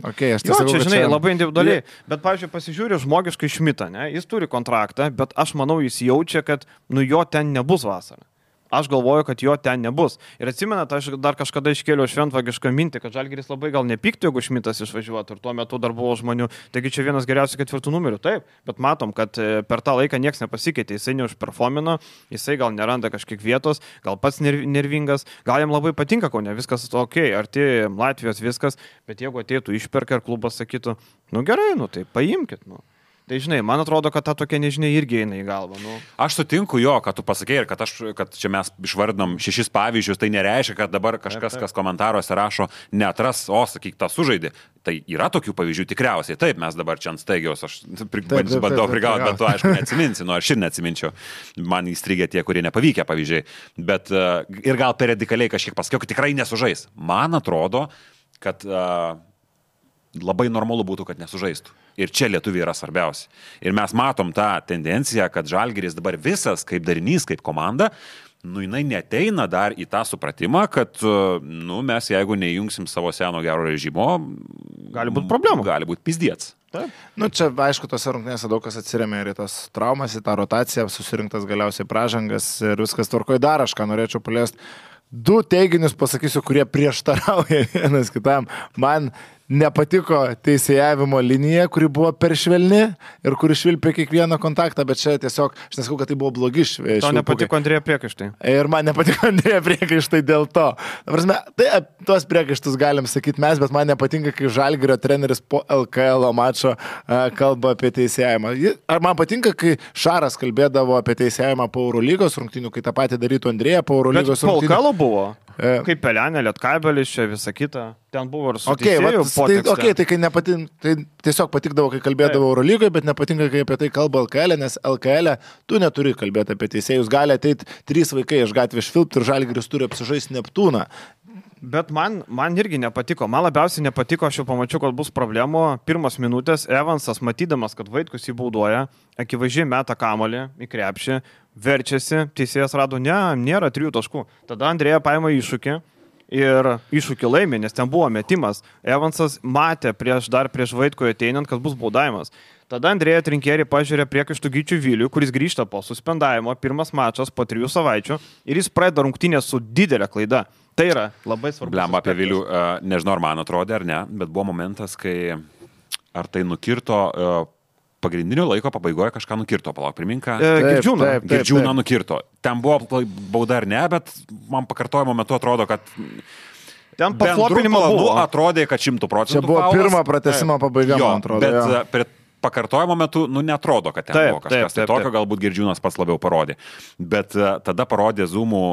Okay, jo, čia, žinai, labai individualiai, bet, pavyzdžiui, pasižiūrė žmogiškai Šmitą, ne? Jis turi kontraktą, bet aš manau, jis jaučia, kad jo ten nebus vasarą. aš galvoju, kad jo ten nebus. Ir atsimenat, aš dar kažkada iškėliau šventvagišką mintį, kad Žalgiris labai gal nepyktų, jeigu Šmitas išvažiuotų ir tuo metu dar buvo žmonių. Taigi čia vienas geriausių 4 numerių, taip, bet matom, kad per tą laiką niekas nepasikeitė, jisai neužperformino, jisai gal neranda kažkiek vietos, gal pats nervingas, gal jam labai patinka, ko ne, viskas ok, arti Latvijos viskas, bet jeigu ateitų išperka ir klubas sakytų, nu gerai, nu tai paimkit, nu. Tai žinai, man atrodo, kad ta tokia nežinia irgi eina į galvą. Nu. Aš sutinku jo, kad tu pasakei ir kad čia mes išvardinom 6 pavyzdžius, tai nereiškia, kad dabar kažkas, kas komentaruose rašo, neatras, sakyk, tą sužaidį. Tai yra tokių pavyzdžių tikriausiai. Taip, mes dabar čia ant staigiaus, aš bandau prigauti, bet tu aišku neatsiminsi, nu aš ir neatsiminčiau. Man įstrigė tie, kurie nepavykę pavyzdžiai. Bet ir gal per radikaliai kažkiek pasakiau, kad tikrai nesužais. Man atrodo, kad labai normalu būtų, kad nesužaistų. Ir čia lietuviai yra svarbiausi. Ir mes matom tą tendenciją, kad Žalgiris dabar visas kaip darinys, kaip komanda, nu jinai neteina dar į tą supratimą, kad mes jeigu neįjungsim savo seno gero režimo, gali būti problemų. Gali būti pizdiets. Taip. Nu čia, aišku, tose rungtynėse daug kas atsiremia ir į tas traumas, į tą rotaciją, susirinktas galiausiai pražangas ir viskas tvarkoje. Dar aš ką norėčiau paliesti. 2 teiginius pasakysiu, kurie prieštarauja vienas kitam. Man nepatiko teisėjavimo linija, kuri buvo per švelni ir kuri švilpė kiekvieną kontaktą, bet čia tiesiog, aš nesakau, kad tai buvo blogi švilpukai. Tau nepatiko Andrėja priekaištai. Ir man nepatiko Andrėja priekaištai dėl to. Prasme, tai tuos priekaištus galim sakyti mes, bet man nepatinka, kai Žalgirio treneris po LKL mačo kalba apie teisėjavimą. Ar man patinka, kai Šaras kalbėdavo apie teisėjavimą po Eurolygos rungtynių, kai tą patį darytų Andrėja po Eurolygos rungtynių? Bet po LKL buvo. Kaip Pelenė, Lietkabelis, čia visa kita. Ten buvo ir su teisėjų potekste. Tai kai tai tiesiog patikdavo, kai kalbėdavo Eurolygoje, bet nepatinka, kai apie tai kalba LKL, nes LKL tu neturi kalbėti apie teisėjus. Gali ateiti 3 vaikai iš gatvės švilpti ir Žalgiris turi apsižaisti Neptūną. Bet man irgi nepatiko. Man labiausiai nepatiko, aš jau pamačiau, kad bus problemų. 1 minutės Evansas, matydamas, kad Vaitkus jį baudoja, akivaizdžiai meta kamuolį į krepšį, verčiasi, teisėjas rado, nėra 3 taškų. Tada Andrėja paima iššūkį ir iššūkį laimė, nes ten buvo metimas. Evansas matė prieš Vaitkų ateinant, kad bus baudavimas. Tada Andrėja Trinkieri pažiūrė priekaištų Gyčių Vilių, kuris grįžta po suspendavimo, 1 mačas po 3 savaičių ir jis pradeda rungtynę su didelė klaida. Tai yra labai svarbu. Blemba apie Vilių, nežinau, ar man atrodė ar ne, bet buvo momentas, kai ar tai nukirto pagrindinio laiko pabaigoje kažką nukirto, palauk, priminka. Girdžiūną nukirto. Ten buvo bauda ar ne, bet man pakartojimo metu atrodo, kad ten paslopinimo buvo. Atrodė, kad 100%. Čia buvo pirma pratęsimo pabaiga, man atrodo. Bet prie pakartojimo metu, netrodo, kad ten buvo kažkas. Tai tokio galbūt Girdžiūnas pats labiau parodė. Bet tada parodė Zoom'ų,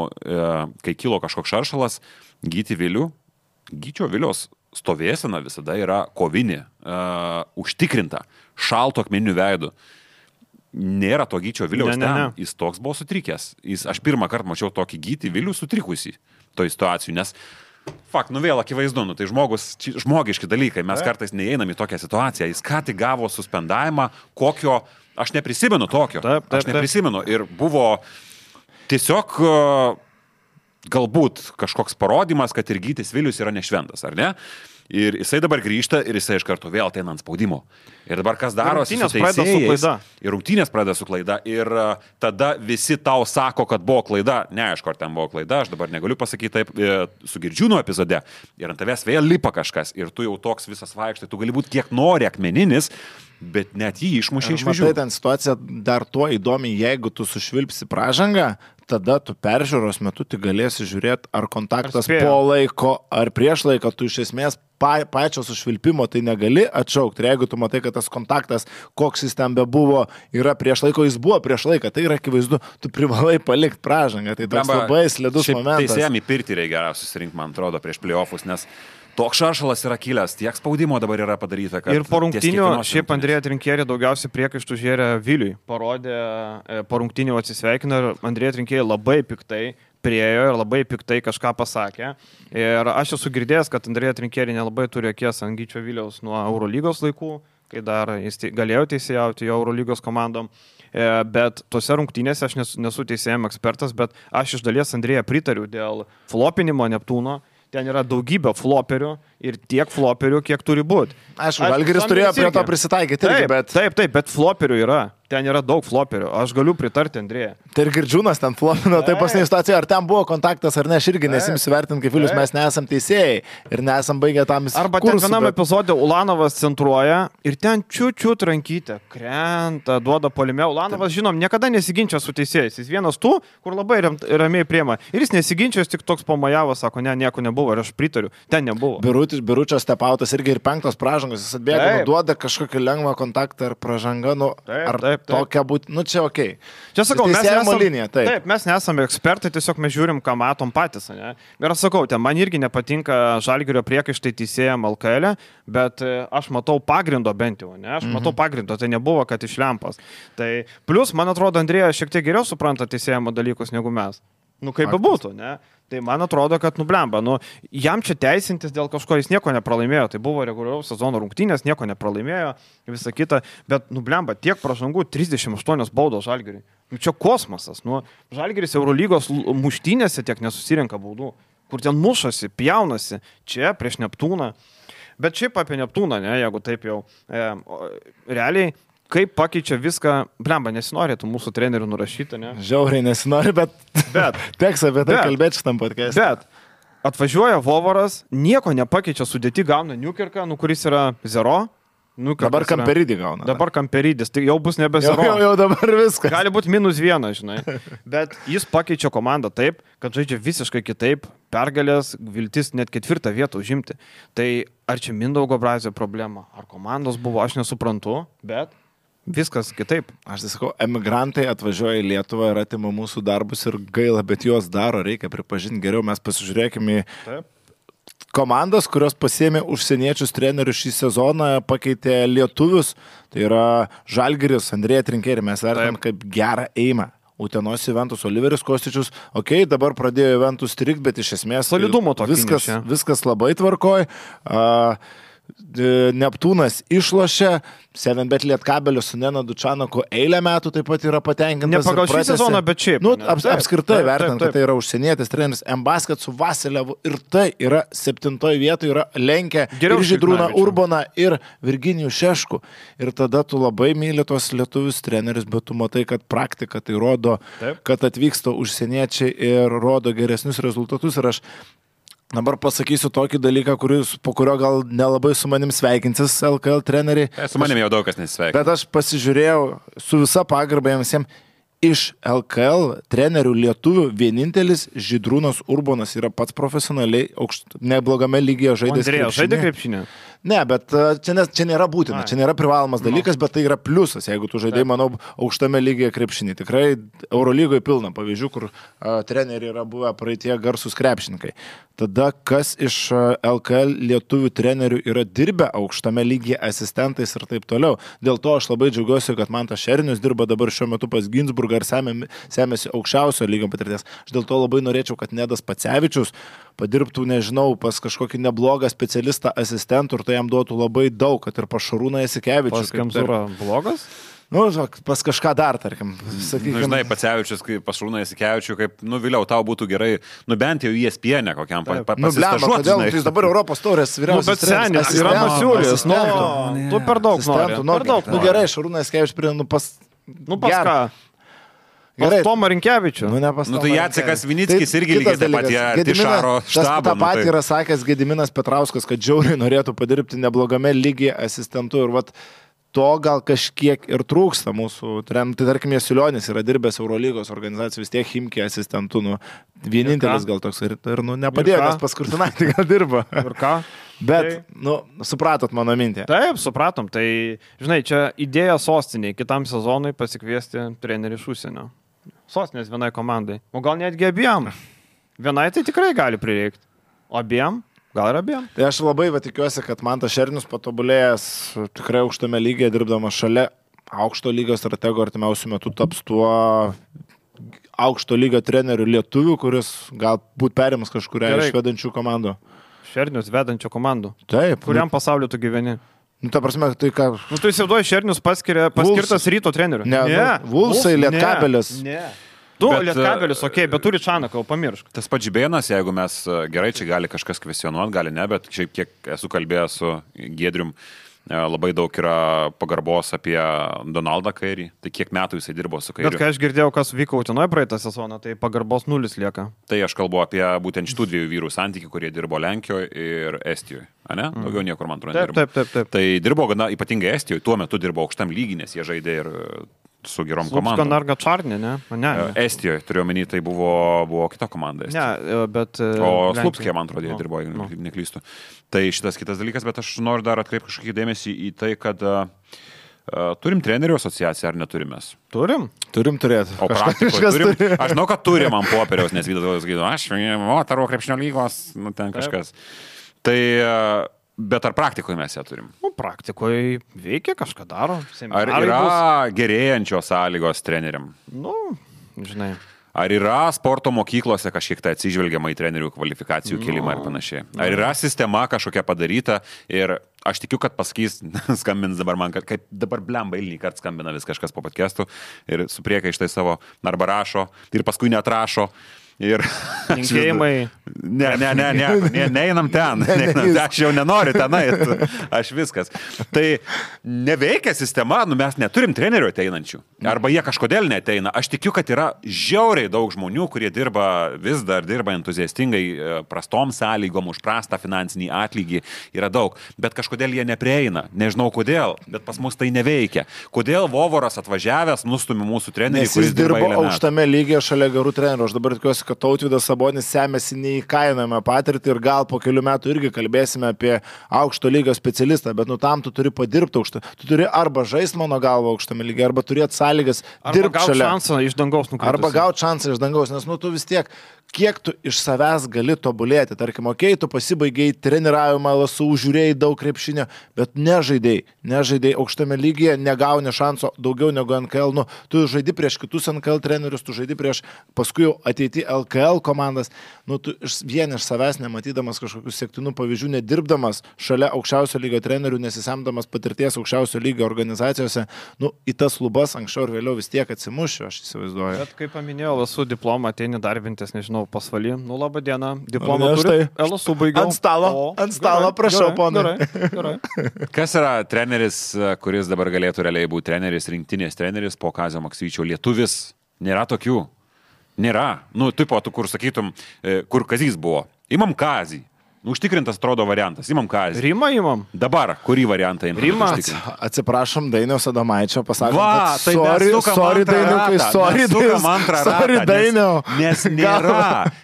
kai kilo kažkoks šaršalas, Gyčio Vilios stovėsena visada yra kovinė, užtikrinta, šalto akmeninių veidų. Nėra to Gyčio Viliaus ten. Jis toks buvo sutrikęs. Aš pirmą kartą mačiau tokį Gytį Vilių sutrikusį toj situacijų, nes vėl akivaizdu, tai žmogiški dalykai, mes kartais neįeinam į tokią situaciją, jis ką tik gavo suspendavimą, kokio, aš neprisimenu tokio, aš neprisimenu ir buvo tiesiog galbūt kažkoks parodymas, kad ir Gytis Vilius yra nešventas, ar ne? Ir jisai dabar grįžta ir jisai iš karto vėl ateina ant spaudimo. Ir dabar kas darosi su teisėjais? Ir rungtynės pradeda su klaida. Ir tada visi tau sako, kad buvo klaida. Neaišku, ar ten buvo klaida, aš dabar negaliu pasakyti taip su Girdžiūno epizode. Ir ant tavęs vėl lipa kažkas. Ir tu jau toks visas vaikštai, tu gali būti kiek nori akmeninis, bet net jį išmušė iš vėžių. Matai, ten situacija dar tuo įdomi, jeigu tu sušvilpsi pražangą, tada tu peržiūros metu tik galėsi žiūrėti, ar kontaktas po laiko, ar prieš laiką, tu iš esmės pačio sušvilpimo tai negali atšaukti. Ir jeigu tu matai, kad tas kontaktas, koks jis ten bebuvo, yra prieš laiko, jis buvo prieš laiką, tai yra akivaizdu, tu privalai palikti pražangą. Tai toks labai slidus momentas. Teisėjami pirti reikia susirinkti, man atrodo, prieš playoffus, nes toks šaršalas yra kilęs, tiek spaudimo dabar yra padaryta, kad... Ir po rungtynių, šiaip Andrėja Trinkieri daugiausiai priekaištų žėrė Viliui. Parodė, po rungtynių atsisveikino ir Andrėja Trinkieri labai piktai priėjo ir labai piktai kažką pasakė. Ir aš esu girdėjęs, kad Andrėja Trinkieri nelabai turi akies ant Gyčio Viliaus nuo Eurolygos laikų, kai dar jis galėjo teisėjauti jo Eurolygos komandom. Bet tose rungtynėse aš nesu teisėjimo ekspertas, bet aš iš dalies Andrėja pritariu dėl flopinimo Neptūno. Ten yra daugybė floperių ir tiek floperių, kiek turi būti. Aišku, Žalgiris turėjo prie to prisitaikyti. Taip, bet floperių yra. ten yra daug floperių. Aš galiu pritarti Andrėje. Tai ir Girdžiūnas ten flopino, tai pasnė situacija, ar ten buvo kontaktas ar ne, aš irgi nesimsiu vertinti, kaip Vilius, mes nesam teisėjai ir nesam baigę tam įsitikti. Arba ten vienam epizode Ulanovas centruoja ir ten čiū rankytę, krenta, duoda polime. Ulanovas, žinom, niekada nesiginčia su teisėjais. Jis vienas tų, kur labai ramiai priema. Ir jis nesiginčia, jis tik toks pamajavo, sako, ne, nieko nebuvo ir aš pritariu. Ten nebuvo. Biručio stepautas irgi ir 5 pražangos, jis atbėga, duoda kažkokį lengvą kontaktą ar pražangą, taip. Tokia būtų, čia okei. Čia sakau, taip, mes nesame ekspertai, tiesiog mes žiūrim, ką matom patys, ne? Ir aš sakau, man irgi nepatinka Žalgirio priekaištai teisėjam LKL, bet aš matau pagrindo bent jau, ne? Aš matau pagrindo, tai nebuvo, kad iš lempas. Tai plus, man atrodo, Andrėja šiek tiek geriau supranta teisėjamo dalykus negu mes. Kaip bebūtų, ne? Tai man atrodo, kad nublemba. Jam čia teisintis dėl kažko, jis nieko nepralaimėjo. Tai buvo reguliaraus sezono rungtynės, nieko nepralaimėjo, visa kita. Bet nublemba, tiek pražangų, 38 baudos Žalgiriui. Čia kosmosas. Žalgiris Eurolygos muštynėse tiek nesusirenka baudų. Kur ten mušasi, pjaunasi. Čia prieš Neptūną. Bet šiaip apie Neptūną, ne, jeigu taip jau realiai. Kaip pakeičia viską, blemba, nesinorėtų mūsų trenerių nurašyti, ne? Žiauriai nesinori, bet teks apie tai kalbėti šitam podcast'e. Bet atvažiuoja Vovaras, nieko nepakeičia, sudėti gauna Newkirką, kuris yra 0. Dabar Kamperidį gauna. Dabar Kamperidis, tai jau bus nebe 0. Jau dabar viskas. Gali būti -1, žinai. Bet jis pakeičia komandą taip, kad žaidžia visiškai kitaip, pergalės, viltis net 4 vietą užimti. Tai ar čia Mindaugo Brazio problema, ar komandos buvo, aš nesuprantu, bet viskas kitaip. Aš tai sakau, emigrantai atvažiuoja į Lietuvą ir atima mūsų darbus ir gaila, bet juos daro, reikia pripažinti geriau. Mes pasižiūrėkime į komandas, kurios pasiėmė užsieniečius trenerius šį sezoną, pakeitė lietuvius. Tai yra Žalgiris, Andrėja Trinkerė, mes vertinam kaip gerą eimą. Utenos Juventus, Oliveris Kostičius, dabar pradėjo Juventus strikti, bet iš esmės solidumo viskas labai tvarkoj. Neptūnas išlošė, 7bet Lietkabelio su Nenadu Čanaku eilę metų taip pat yra patenkintas. Ne pagal šį sezoną, bet šiaip. Apskritai vertinant, kad tai yra užsienietis treneris M-Basket su Vasilevu ir tai yra 7 vietoje, yra lenkę ir Žydrūną Urboną ir Virginijų Šeškų. Ir tada tu labai myli tos lietuvius trenerius, bet tu matai, kad praktika tai rodo, kad atvyksta užsieniečiai ir rodo geresnius rezultatus. Ir aš dabar pasakysiu tokį dalyką, po kurio gal nelabai su manim sveikinsis LKL treneriai. Su manim jau daug kas nesveikina. Bet aš pasižiūrėjau su visa pagarba visiems. Iš LKL trenerių lietuvių vienintelis Žydrūnas Urbonas yra pats profesionaliai neblogame lygyje žaidęs krepšinį. Žaidė krepšinį? Ne, bet čia nėra būtina, čia nėra privalomas dalykas, bet tai yra pliusas, jeigu tu žaidėjai, manau, aukštame lygyje krepšinį. Tikrai Eurolygoje pilna pavyzdžių, kur treneriai yra buvę praeitie garsus krepšininkai. Tada kas iš LKL lietuvių trenerių yra dirbę aukštame lygyje asistentais ir taip toliau. Dėl to aš labai džiaugiuosi, kad Mantas Šernius dirba dabar šiuo metu pas Ginsburgą ir semėsi aukščiausio lygio patirties. Aš dėl to labai norėčiau, kad Nedas Pacevičius padirbtų, nežinau, pas kažkokį neblogą specialistą asistentų ir tai jam duotų labai daug, kad ir pas Šarūną Jasikevičių. Pas Kemzūrą blogas? Pas kažką dar, tarkim. Žinai, Pacevičius, pas Šarūną Jasikevičių, kaip, vėliau tau būtų gerai, bent jau ESPN kokiam pasistažuoti. Kodėl jis dabar Europos taurės vyriausias treneris? Yra Masiulis, tu per daug nori. Gerai, Šarūną Jasikevičių prie, pas ką? Gerai, Tomą Rinkevičių. Tai Jacekas Vinickis irgi lygiai taip pat Tišaro štabo. Ta pat yra sakęs Gediminas Petrauskas, kad žiauriai norėtų padirbti neblogame lygyje asistentu ir to gal kažkiek ir trūksta mūsų. Tai tarkim, Jasulionis yra dirbęs Eurolygos organizacijų, vis tiek Chimki asistentu. Vienintelis gal toks ir nepadėjo, nes pas Kurtinaitį gal dirba. Ir ką? Bet, supratot mano mintį. Taip, supratom. Tai, žinai, čia idėja sostiniai kitam sezonui pasikviesti trenerį iš užsienio. Sostinės vienai komandai. O gal netgi abiem. Vienai tai tikrai gali prireikti. O abiem? Gal ir abiem. Tai aš labai tikiuosi, kad Mantas Šernius patobulėjęs tikrai aukštame lygyje, dirbdamas šalia aukšto lygio stratego artimiausių metų taps tuo aukšto lygio trenerių lietuvių, kuris galbūt perims kažkuria iš vedančių komandų. Šernius vedančių komandų. Taip. Kuriam pasauliu tu gyveni? Ta prasme, tai ką... Tu įsivaizduoji, Šernius paskirtas Ryto treneriu. Ne, Vulsai, Lietkabelis. Ne. Tu, Lietkabelis, bet turi Čanaką, pamiršk. Tas pats Žibėnas, jeigu mes gerai, čia gali kažkas kvestionuoti, gali ne, bet šiaip kiek esu kalbėjęs su Giedrium, labai daug yra pagarbos apie Donaldą Kairį. Tai kiek metų jisai dirbo su Kairiu. Bet kai aš girdėjau, kas vyko Utenoje praeitą sezoną, tai pagarbos 0 lieka. Tai aš kalbu apie būtent šitų dviejų vyrų santykių, kurie dirbo Lenkijoje ir Estijoje. Ne? Daugiau niekur, man atrodo, nedirbo. Taip. Tai dirbo gana ypatingai Estijoje, tuo metu dirbo aukštam lygiai, nes jie žaidė ir su gerom komandom. Slupska Čarnė, ne? Estijoje, turiu omeny, tai buvo kita komanda. Ne, bet... O Slupskė, man atrodo, jie dirbo, jeigu neklystu. Tai šitas kitas dalykas, bet aš noriu dar atkreipti kažkokį dėmesį į tai, kad turim trenerių asociaciją ar neturime? Turim turėti. O praktikoje turim. Aš žinau, kad turim ant popieriaus, nes Vydas sakydavo, aš moterų krepšinio lygos, ten kažkas. Tai... Bet ar praktikoje mes ją turim? Praktikoje veikia, kažką daro. Ar yra gerėjančios sąlygos treneriam? Žinai. Ar yra sporto mokyklose kažkiek tai atsižvelgiama į trenerių kvalifikacijų kelimą ir panašiai? Ar yra sistema kažkokia padaryta ir aš tikiu, kad pasakys, skambins dabar man, kad kaip dabar blemba eilinį kartą skambina vis kažkas po podcastų ir su priekaištai savo arba rašo ir paskui neatrašo. Ir linkėjimai. Neinam ten. Aš jau nenoriu ten eit. Aš viskas. Tai neveikia sistema, mes neturim trenerių ateinančių. Arba jie kažkodėl neteina. Aš tikiu, kad yra žiauriai daug žmonių, kurie vis dar dirba entuziastingai, prastom sąlygom, už prastą finansinį atlygį. Yra daug. Bet kažkodėl jie neprieina. Nežinau kodėl, bet pas mus tai neveikia. Kodėl Vovoras atvažiavęs nustumi mūsų trenerį, kuris dirba aukštame lygyje šalia gerų trenerių. Aš dabar tikiuosi, kad Tautvydas Sabonis semėsi neįkainojamą patirtį ir gal po kelių metų irgi kalbėsime apie aukšto lygio specialistą, bet tam tu turi padirbti aukštą. Tu turi arba žaisti mano galvą aukštame lygyje, arba turėti sąlygas dirbti šalia. Arba gauti šansą iš dangaus nukritus. Arba gauti šansą iš dangaus, nes tu vis tiek, kiek tu iš savęs gali tobulėti. Tarkim, tu pasibaigiai treniravimą, LSU, žiūrėjai daug krepšinio, bet nežaidėjai aukštame lygyje, negauni šanso daugiau negu NKL. Tu žaidi prieš kitus NKL trenerius, tu žaidi prieš paskui jau ateiti LKL komandas. Tu vien iš savęs nematydamas kažkokių sektinų pavyzdžių, nedirbdamas šalia aukščiausio lygio trenerių, nesisemdamas patirties aukščiausio lygio organizacijose, į tas lubas anksčiau ir vėliau vis tiek atsimušiu, aš įsivaizduoju. Bet kaip paminėjau, LSU diplomą ateini darbintis, nežinau, pasvalį. Labą dieną. Diplomą turi. LSU baigiau. Ant stalo, prašau, ponai. Gerai. Kas yra treneris, kuris dabar galėtų realiai būti treneris, rinktinės treneris po Kazio Maksvyčio? Lietuvis? Nėra tokių. Nėra. Tipo, tu kur sakytum, kur Kazys buvo. Imam Kazį. Užtikrintas atrodo variantas. Imam Kazį. Rimą imam. Dabar, kurį variantą imam? Rimą. Atsiprašom Dainiaus Adomaičio, pasakom, tai sorry Dainiau.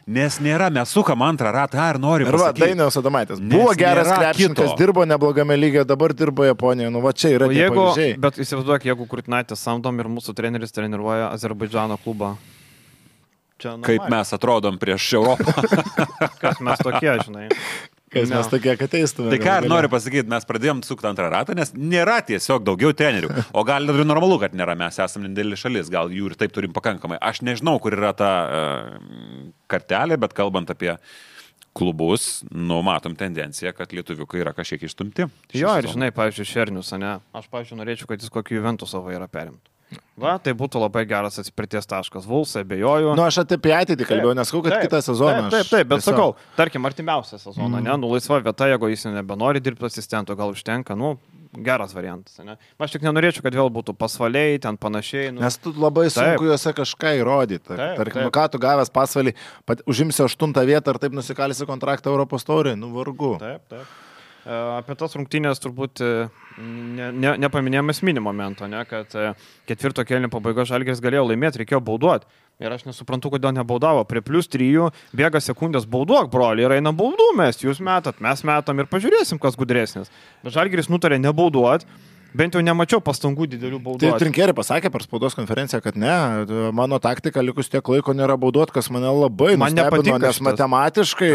Nes nėra, mes sukam antrą ratą, ar nori pasakyti. Dainiaus Adomaitis. Buvo geras krepšininkas, dirbo neblogame lygyje, dabar dirbo Japonijoje. Va čia yra tie pavyzdžiai. Bet įsivaizduok, jeigu Kurtinaitis samdom ir mūsų treneris treniruoja Azerbaidžano klubą. Kaip mes atrodom prieš Europą. Kas mes tokie, žinai. Mes tokie, kad teistume. Tai ką ir noriu pasakyti, mes pradėjom sukti antrą ratą, nes nėra tiesiog daugiau trenerių. O gal ir normalu, kad nėra, mes esame didelė šalis, gal jų ir taip turim pakankamai. Aš nežinau, kur yra ta kartelė, bet kalbant apie klubus, matom tendenciją, kad lietuviukai yra kažkiek išstumti. Jo, ir žinai, pavyzdžiui, Šernius, ne? Aš, pavyzdžiui, norėčiau, kad jis kokį Juventus savo yra perimtų. Va, tai būtų labai geras atsipirties taškas. Vulsai, abejoju. Aš apie ateitį kalbėjau, nesakau, kad kitą sezoną. Taip, bet sakau, tarkim, artimiausią sezoną, laisva vieta, jeigu jis nebenori dirbti asistento, gal užtenka, geras variantas. Ne? Aš tik nenorėčiau, kad vėl būtų pasvaliai, ten panašiai. Nes tu labai sunku juose kažką įrodyti. Tarkim, ką tu gavęs pasvalį, užimsi 8 vietą ir taip nusikalsi kontraktą Europos taurėje, vargu. Taip. Apie tas rungtynės turbūt nepaminėjom esminį momentą, kad ketvirto kėlinio pabaiga Žalgiris galėjo laimėti, reikėjo bauduoti. Ir aš nesuprantu, kodėl nebaudavo. Prie +3 bėga sekundės bauduok, broli, ir eina baudų mes, jūs metat, mes metam ir pažiūrėsim, kas gudresnis. Bet Žalgiris nutarė nebauduoti. Bent jau nemačiau pastangų didelių baudų. Tai Trinkerį pasakė per spaudos konferenciją, kad ne, mano taktika likus tiek laiko nėra baudot, kas mane labai nustebino, nes matematiškai...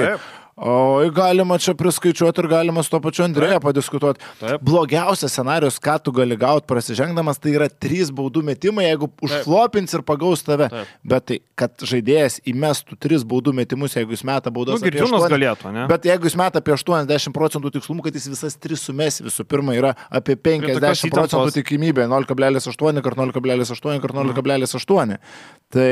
Oi, galima čia priskaičiuoti ir galima su to pačiu Andrėja padiskutuoti. Blogiausias scenarius, ką tu gali gauti prasižengdamas, tai yra 3 baudų metimai, jeigu užflopins ir pagaus tave. Bet tai, kad žaidėjas įmestų 3 baudų metimus, jeigu jis meta baudas apie 8%. Galėtų, ne? Bet jeigu jis meta apie 80% tikslumų, kad jis visas 3 sumes, visų pirma yra apie 50% tikimybė, 0,8 kart 0,8 kart 0,8. Tai...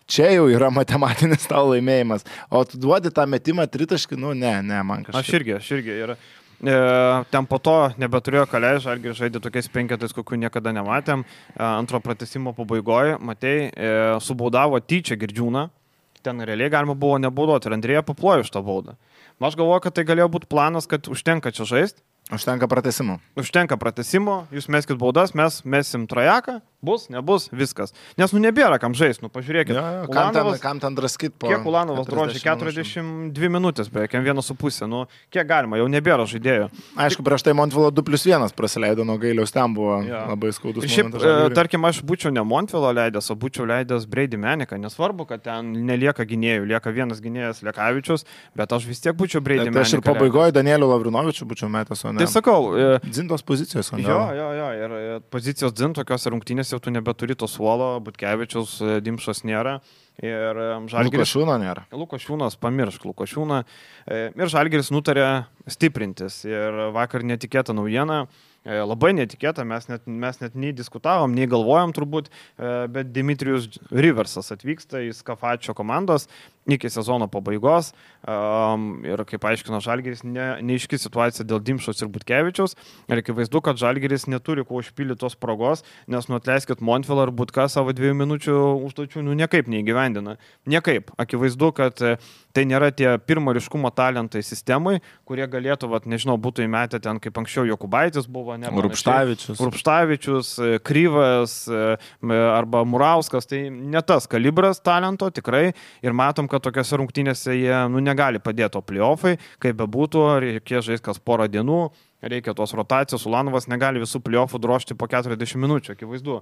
Čia jau yra matematinis tau laimėjimas. O tu duodi tą metimą tritaškį, ne, man kažkaip. Aš irgi. Ir ten po to nebeturėjo kalė, Žalgiris žaidė tokiais penketais, kokių niekada nematėm. Antro pratęsimo pabaigoje, matei, subaudavo tyčia Girdžiūną. Ten realiai galima buvo nebaudoti ir Andrėja paplojo iš tą baudą. Aš galvoju, kad tai galėjo būti planas, kad užtenka čia žaisti. Užtenka pratęsimo, jūs meskit baudas, mes mesim trajeką, bus, nebus, viskas. Nes nebėra kam žaisti, pažiūrėkit. Kam ten draskit po... Kiek Ulanovas drožė? 42 minutės, beveik 1,5. Kiek galima, jau nebėra žaidėjų. Aišku, prieš tai Montvilo 2+1 praleido nuo Gailiaus, ten buvo labai skaudus momentas. Šiaip, tarkim, aš būčiau ne Montvilo leidęs, o būčiau leidęs Brady Meniką. Nesvarbu, kad ten nelieka gynėjų, lieka vienas gynėjas Lekavičius, bet aš vis tiek būčiau Brady Meniką. Aš ir pabaigoje Danielių Lavrinovičių būčiau metęs, o ne. Tai sakau, Dzintos pozicijos, o ne? Jo, ir pozicijos Dzin tokios rungtynės jau tu nebeturi to suolo, Butkevičius, Dimšas nėra. Ir Žalgiris... Lukašiūno nėra. Lukašiūnas, pamiršk Lukašiūną. Ir Žalgiris nutarė stiprintis. Ir vakar netikėta naujiena. Labai netikėta, mes net nei diskutavom, nei galvojom turbūt, bet Dimitrijus Riversas atvyksta į Skafačio komandos iki sezono pabaigos ir kaip aiškino Žalgiris, neaiški situacija dėl Dimšos ir Butkevičiaus ir akivaizdu, kad Žalgiris neturi kuo užpildyti tos spragos, nes atleiskit Montvilą ir Butką savo 2 minučių užduočių niekaip neįgyvendina. Niekaip. Akivaizdu, kad tai nėra tie pirmo ryškumo talentai sistemai, kurie galėtų, nežinau, būtų įmetę ten, kaip anksčiau Jokubaitis buvo, Rupštavičius, Kryvas arba Murauskas, tai ne tas kalibras talento tikrai ir matom, kad tokiose rungtynėse jie negali padėti, o playoffai, kaip bebūtų, reikia žaisti kas porą dienų, reikia tos rotacijos, Ulanovas negali visų playoffų drožti po 40 minučių, akivaizdu.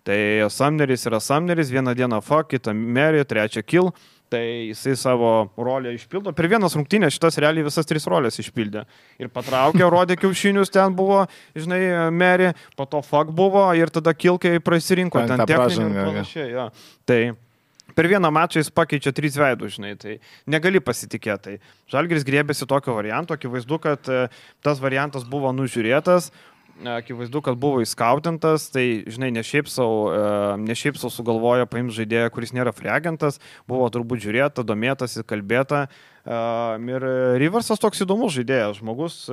Tai Sumneris yra Sumneris, vieną dieną fuck, kitą Mary, trečią kill. Tai jisai savo rolę išpildo. Per vienas rungtynės šitas realiai visas 3 rolės išpildė. Ir patraukė, rodė kiaušinius, ten buvo, žinai, Mary, po to fuck buvo ir tada kilkai prasirinko. Ten techninė ir panašiai. Ja. Tai per vieną mačą jis pakeičia 3 veidų, žinai, tai negali pasitikėti. Žalgiris griebėsi tokio varianto, akivaizdu, kad tas variantas buvo nužiūrėtas. Akivaizdu, kad buvo įskautintas, tai, žinai, ne šiaip sau sugalvojo paimti žaidėją, kuris nėra free agentas, buvo turbūt žiūrėta, domėtasi, kalbėta. Ir Riversas toks įdomus žaidėjas, žmogus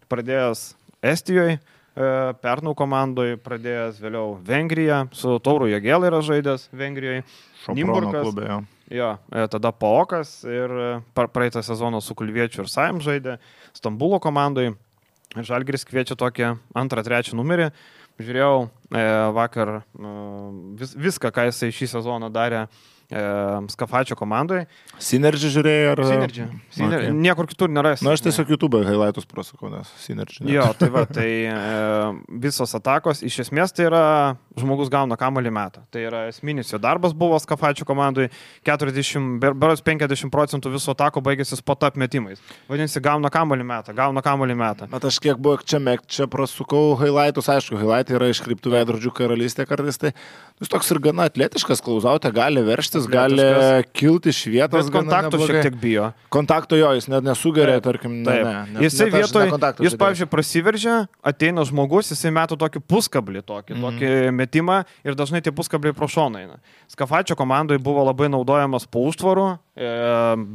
pradėjęs Estijoje, Pernau komandoje, pradėjęs vėliau Vengriją, su Tauru Jagėla yra žaidęs Vengrijoje, Nimburgas, tada Paokas ir praeitą sezoną su Kulviečiu ir Saim žaidė, Stambulo komandoje. Žalgiris kviečia tokį 2-3 numerį. Žiūrėjau vakar viską, ką jisai šį sezoną darė Skafačio komandai. Synergy žiūrėjai ar... Synergy. Okay. Niekur kitur nerasi. Aš tiesiog YouTube highlightus prasukau, nes Synergy. Jo, tai visos atakos, iš esmės tai yra žmogus gauna kamuolį metą. Tai yra esminis jo darbas buvo Skafačio komandai, 50% visų atako baigėsi spot up metimais. Vadinasi, gauna kamuolį metą. Bet aš kiek buvo čia prasukau highlightus, aišku, highlightai yra iš kryptų veidrodžių karalystė kartais, tai jis toks ir gana atletiškas, klausautė, gali veržtis, gali kilti iš vietos. Bet kontaktų šiek tiek bijo. Kontakto jo, jis net nesugeria, tarkim, Jisai vietoj, jis, pavyzdžiui, prasiveržia, ateina žmogus, jisai metų tokį puskablį, tokį metimą ir dažnai tie puskabliai pro šoną eina. Skafačio komandai buvo labai naudojamas po užtvarų,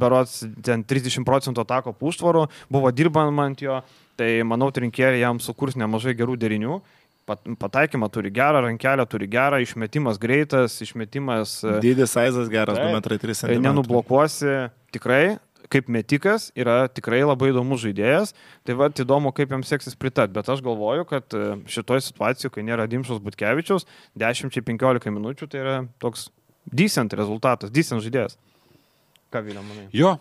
berods ten 30% atako po užtvarų, buvo dirbama ant jo, tai manau, trinkėriai jam sukurs nemažai gerų derinių. Pataikymą turi gerą, rankelę turi gerą, išmetimas greitas, išmetimas... Dydis saizas geras, 2,3 m. Nenublokuosi, tikrai, kaip metikas, yra tikrai labai įdomus žaidėjas, tai įdomu, kaip jam seksis pritart, bet aš galvoju, kad šitoj situacijų, kai nėra Dimšos Butkevičiaus, 10-15 minučių, tai yra toks decent rezultatas, decent žaidėjas. Ką Vilė, manai? Jo,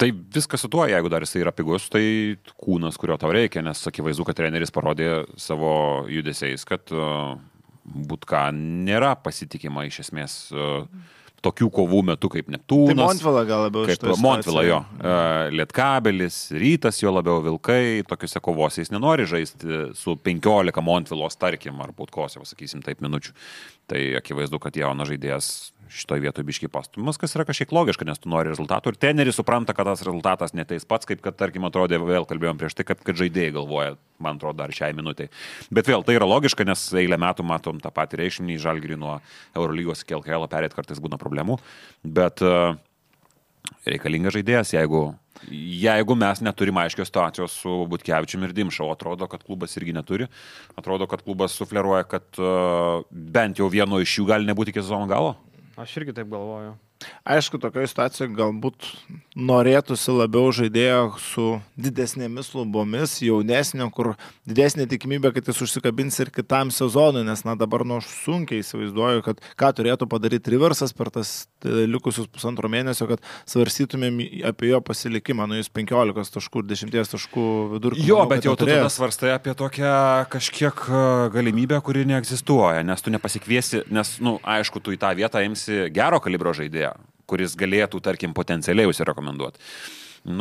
tai viskas su tuo, jeigu dar jisai yra pigus, tai kūnas, kurio tau reikia, nes akivaizdu, kad treneris parodė savo judesiais, kad Butka nėra pasitikima iš esmės tokių kovų metu kaip Neptūnas. Tai Montvila gal labiau kaip Montvila jo. Lietkabelis, Rytas jo labiau Vilkai, tokiuose kovose jis nenori žaisti su 15 Montvilos, tarkim, ar Butkos, jau sakysim, taip minučių. Tai akivaizdu, kad jaunas žaidėjas šitoje vietoje biškiai pastumas, kas yra kažkiek logiška, nes tu nori rezultatų ir treneris supranta, kad tas rezultatas neteis pats, kaip kad, tarkim, atrodė, vėl kalbėjom prieš tai, kad žaidėjai galvoja, man atrodo, dar šiai minutei. Bet vėl tai yra logiška, nes eilę metų matom tą patį reikšminį Žalgirį nuo Eurolygos iki LKL perėti kartais būna problemų, bet Reikalingas žaidėjas, jeigu mes neturim aiškios situacijos su Butkevičiumi ir Dimšau, atrodo, kad klubas irgi neturi, atrodo, kad klubas sufleruoja, kad bent jau vieno iš jų gali nebūti iki sezono galo. Aš irgi taip galvoju. Aišku, tokioje situacijoje galbūt norėtųsi labiau žaidėjo su didesnėmis lubomis, jaunesnio, kur didesnė tikimybė, kad jis užsikabins ir kitam sezonui, nes dabar aš sunkiai įsivaizduoju, kad ką turėtų padaryti Riversas per tas likusius pusantro mėnesio, kad svarstytumėm apie jo pasilikimą, jis 15 taškų ir 10 taškų vidurkį. Jo, bet jau tu tada svarstai apie tokią kažkiek galimybę, kuri neegzistuoja, nes tu nepasikviesi, nes, aišku, tu į tą vietą imsi gero kalibro žaidėją, kuris galėtų, tarkim, potencialiai užsirekomenduoti.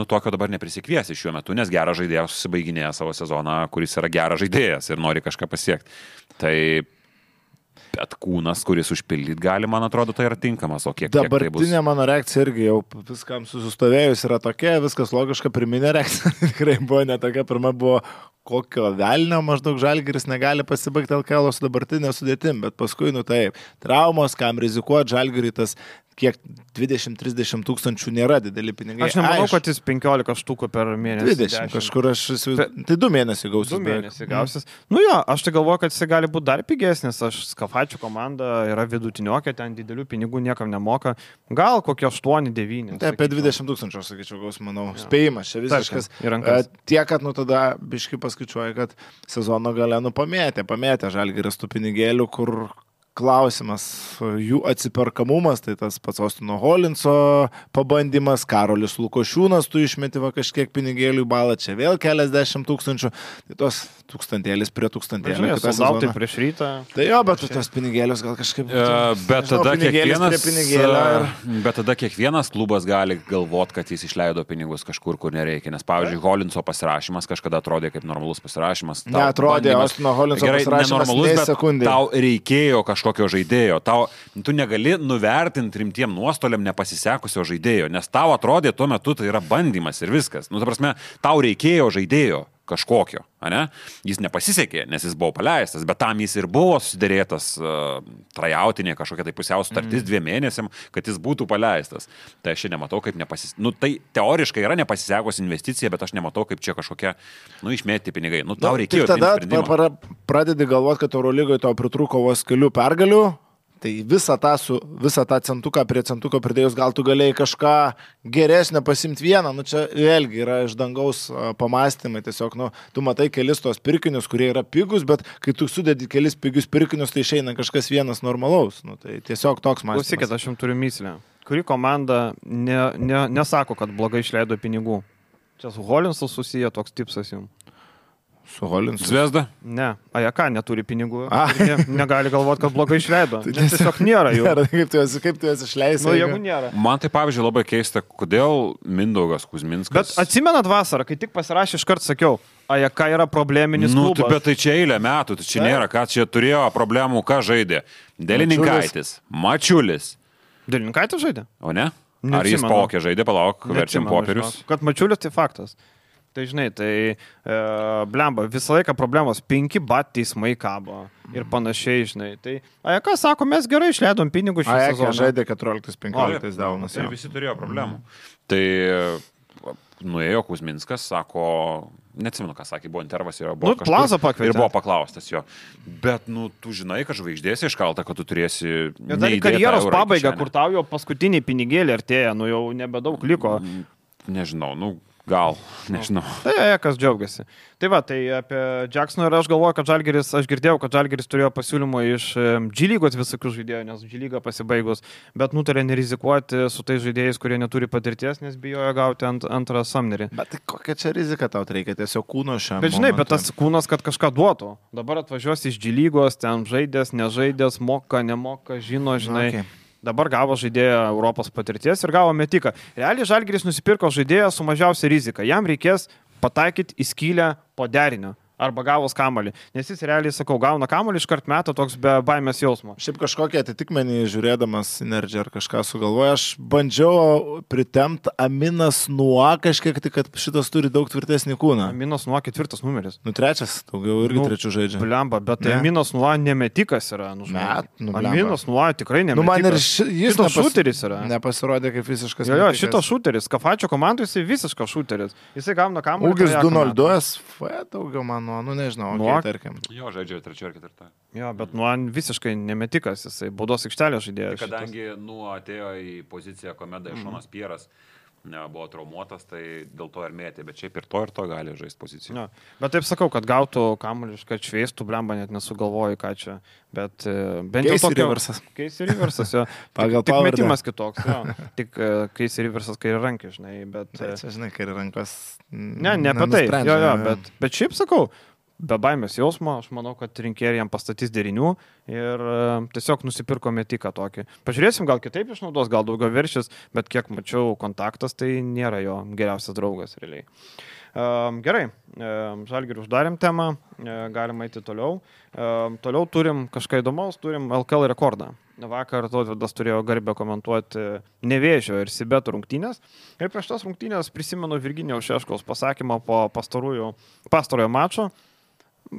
Tokio dabar neprisikviesi šiuo metu, nes geras žaidėjas susibaiginėja savo sezoną, kuris yra geras žaidėjas ir nori kažką pasiekti. Tai bet kūnas, kuris užpildyti gali, man atrodo, tai yra tinkamas, o kiek dabartinė tai mano reakcija irgi jau viskam susistovėjus yra tokia, viskas logiška, pirminė reakcija tikrai buvo ne tokia, pirma buvo kokio velnio maždaug Žalgiris negali pasibaigti LKL su dabartinė sudėtim, bet paskui, taip, traumos, kam rizikuoti, Žalgiriui tas kiek 20-30 tūkstančių nėra dideli pinigai. Aš nemanau, kad jis 15 štukų per mėnesį. 20 kažkur aš įsivaizduoju. Tai 2 mėnesiai gausis. 2 mėnesiai gausis. Aš tai galvoju, kad jis gali būti dar pigesnis. Skafačių komanda yra vidutiniokė, ten didelių pinigų niekam nemoka. Gal kokie 8-9. Tai apie 20 tūkstančių, aš sakyčiau, gaus, manau. Ja. Spėjimas, čia visiškas. Tiek, kad tada biškai paskaičiuoja, kad sezono gale pamėtė Žalgiris tų pinigėlių, kur klausimas, jų atsiperkamumas, tai tas pats Ostino Holinso pabandymas, Karolis Lukošiūnas, tu išmeti kažkiek pinigėlių į balą, čia vėl keliasdešimt tūkstančių, tai tos tūkstantėlis prie tūkstantėlio. Soldautai prieš rytą. Tai jo, bet tos pinigėlius gal kažkaip... Bet tada kiekvienas klubas gali galvoti, kad jis išleido pinigus kažkur, kur nereikia, nes pavyzdžiui, Holinso pasirašymas kažkada atrodė kaip normalus pasirašymas. Neatrodė, Ostino Holinso pasirašymas ne sekundė. Tau reikėjo kažkokio žaidėjo. Tu negali nuvertinti rimtiem nuostoliam nepasisekusio žaidėjo, nes tau atrodė tuo metu tai yra bandymas ir viskas. Ta prasme, tau reikėjo žaidėjo kažkokio, ne? Jis nepasisekė, nes jis buvo paleistas, bet tam jis ir buvo susidėrėtas trajautinė kažkokia tai pusiau sutartis 2 mėnesiam, kad jis būtų paleistas. Tai aš čia nematau, kaip tai teoriškai yra nepasisekus investicija, bet aš nematau, kaip čia kažkokia, išmėti pinigai. Tau reikėjo. Tada pradedi galvoti, kad Eurolygoje tau pritrūko vos kelių pergalių. Tai visą tą centuką prie centuko pridėjus, gal tu galėjai kažką geresnio pasimti vieną, čia vėlgi yra iš dangaus pamastymai, tiesiog, tu matai kelis tos pirkinius, kurie yra pigus, bet kai tu sudedi kelis pigius pirkinius, tai išeina kažkas vienas normalaus, tai tiesiog toks mąstymas. Klausykit, aš jums turiu myslę. Kuri komanda nesako, kad blogai išleido pinigų? Čia su Holinsu susiję toks tipsas jums. Su Holinsu. Zvezda? Ne, Ajaka neturi pinigų. Negali galvoti, kad blogai išleido. Tiesiog nėra jų. Kaip tu jas išleisi? Jeigu nėra. Man tai, pavyzdžiui, labai keista, kodėl Mindaugas Kuzminskas... Bet atsimenat vasarą, kai tik pasirašė, iškart sakiau, Ajaka yra probleminis klubas. Bet tai čia eilė metų, tai čia nėra, ką čia turėjo problemų, ką žaidė. Delininkaitis, Mačiulis. Delininkaitis žaidė? O ne? Ar jis palaukė žaidė, verčiam popierius? Kad Mačiulis tai faktas. Tai žinai, blemba, visą laiką problemos, 5 bat teismai kabo ir panašiai, žinai. Tai Ajaka sako, mes gerai išleidom pinigus šį sezoną. Ajaka žaidė 14-15 daunas. Ir visi turėjo problemų. Tai nuėjo Kuzminskas, sako, neatsimenu, ką sakė, buvo intervas ir buvo Plaza pakvietė. Ir buvo paklaustas jo. Bet, tu žinai, kad žvaigždės iškalta, kad tu turėsi... Ir dar karjeros pabaiga, kur tau jau paskutiniai pinigėlį artėja, jau nebedaug liko. Nežinau, gal, nežinau. Tai kas džiaugiasi. Tai va, tai apie Jacksoną ir aš galvoju, kad Žalgiris, aš girdėjau, kad Žalgiris turėjo pasiūlymą iš G-lygos visokių žaidėjų, nes G-lyga pasibaigus, bet nutarė nerizikuoti su tais žaidėjais, kurie neturi patirties, nes bijojo gauti antrą samnerį. Bet kokia čia rizika tau reikia, tiesiog kūno šiam. Bet žinai, bet tas kūnas, kad kažką duotų. Dabar atvažiuos iš G-lygos, ten žaidės, nežaidės, moka, nemoka, žinai. Okay. Dabar gavo žaidėją Europos patirties ir gavo metiką. Realiai Žalgiris nusipirko žaidėją su mažiausia rizika. Jam reikės pataikyti į skylę po derinio. arba gavus kamuolį. Nes jis realiai, sakau, gauna kamuolį, iškart metą toks be baimės jausmo. Šiaip kažkokią atitikmenį žiūrėdamas Synergy ar kažką sugalvoju, aš bandžiau pritemti Aminas Nuo kažkiek, tik kad šitas turi daug tvirtesnį kūną. Aminas Nuo 4 numeris. 3, daugiau irgi 3 žaidžia. Blemba, bet tai Aminas Nuo nemetikas yra. Aminas Nuo tikrai nemetikas. Man ir jis šuteris yra. Nepasirodė kaip visiškas. Jo, šitas šuteris. Kafačio komandai jisai visiškas šuteris. Jisai gauna kamuolį. Ūgis 202, daugiau mano, nežinau, tarkim. Jo, žaidžia 3 ar 4. Jo, bet Nuo visiškai nemetikas, jisai baudos aikštelės žaidėjas. Kadangi Nuo atėjo į poziciją, kuomet Šonas Pieras buvo traumuotas, tai dėl to ir mėtė, bet šiaip ir to gali žaisti poziciją. Ja. Bet taip sakau, kad gautų kamuolį, kad šveistų, blemba, net nesugalvoju, ką čia. Bet bent jau tokio... Casey Riversas, jo. Pagal tik metimas kitoks, jo. Tik Casey Riversas kairį rankį, žinai, bet... Čia, žinai, kairį rankos... Ne apie tai, jo, bet šiaip sakau, be baimės jausmo, aš manau, kad rinkėjai jam pastatys derinių ir tiesiog nusipirko metiką tokį. Pažiūrėsim, gal kitaip išnaudos, gal daugiau viršis, bet kiek mačiau kontaktas, tai nėra jo geriausias draugas realiai. Gerai, Žalgirį uždarėm temą, galima eiti toliau. Toliau turim kažką įdomaus, turim LKL rekordą. Vakar Tautvydas turėjo garbę komentuoti Nevėžio ir Sibeto rungtynės. Ir prieš tas rungtynės prisimenu Virginijaus Šeškaus pasakymą po pastarojo mačo.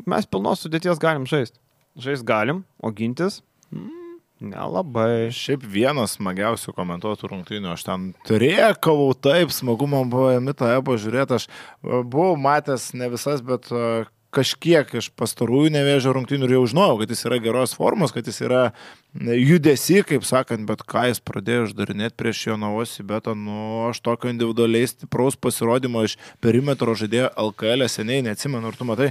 Mes pilnos sudėties galim žaisti. Žaisti galim, o gintis nelabai. Šiaip vienas smagiausių komentuotų rungtynių. Aš ten turėkavau taip, smagu man buvo Mitą Ebo žiūrėti. Aš buvau matęs ne visas, bet kažkiek iš pastarųjų Nevėžio rungtynių ir jau žinojau, kad jis yra geros formos, kad jis yra judesi, kaip sakant, bet ką jis pradėjo uždarinėti prieš Jonavos Sibetą, aš tokio individualiai stipraus pasirodymo iš perimetro žaidėjo LKL seniai neatsimenu, ar tu matai,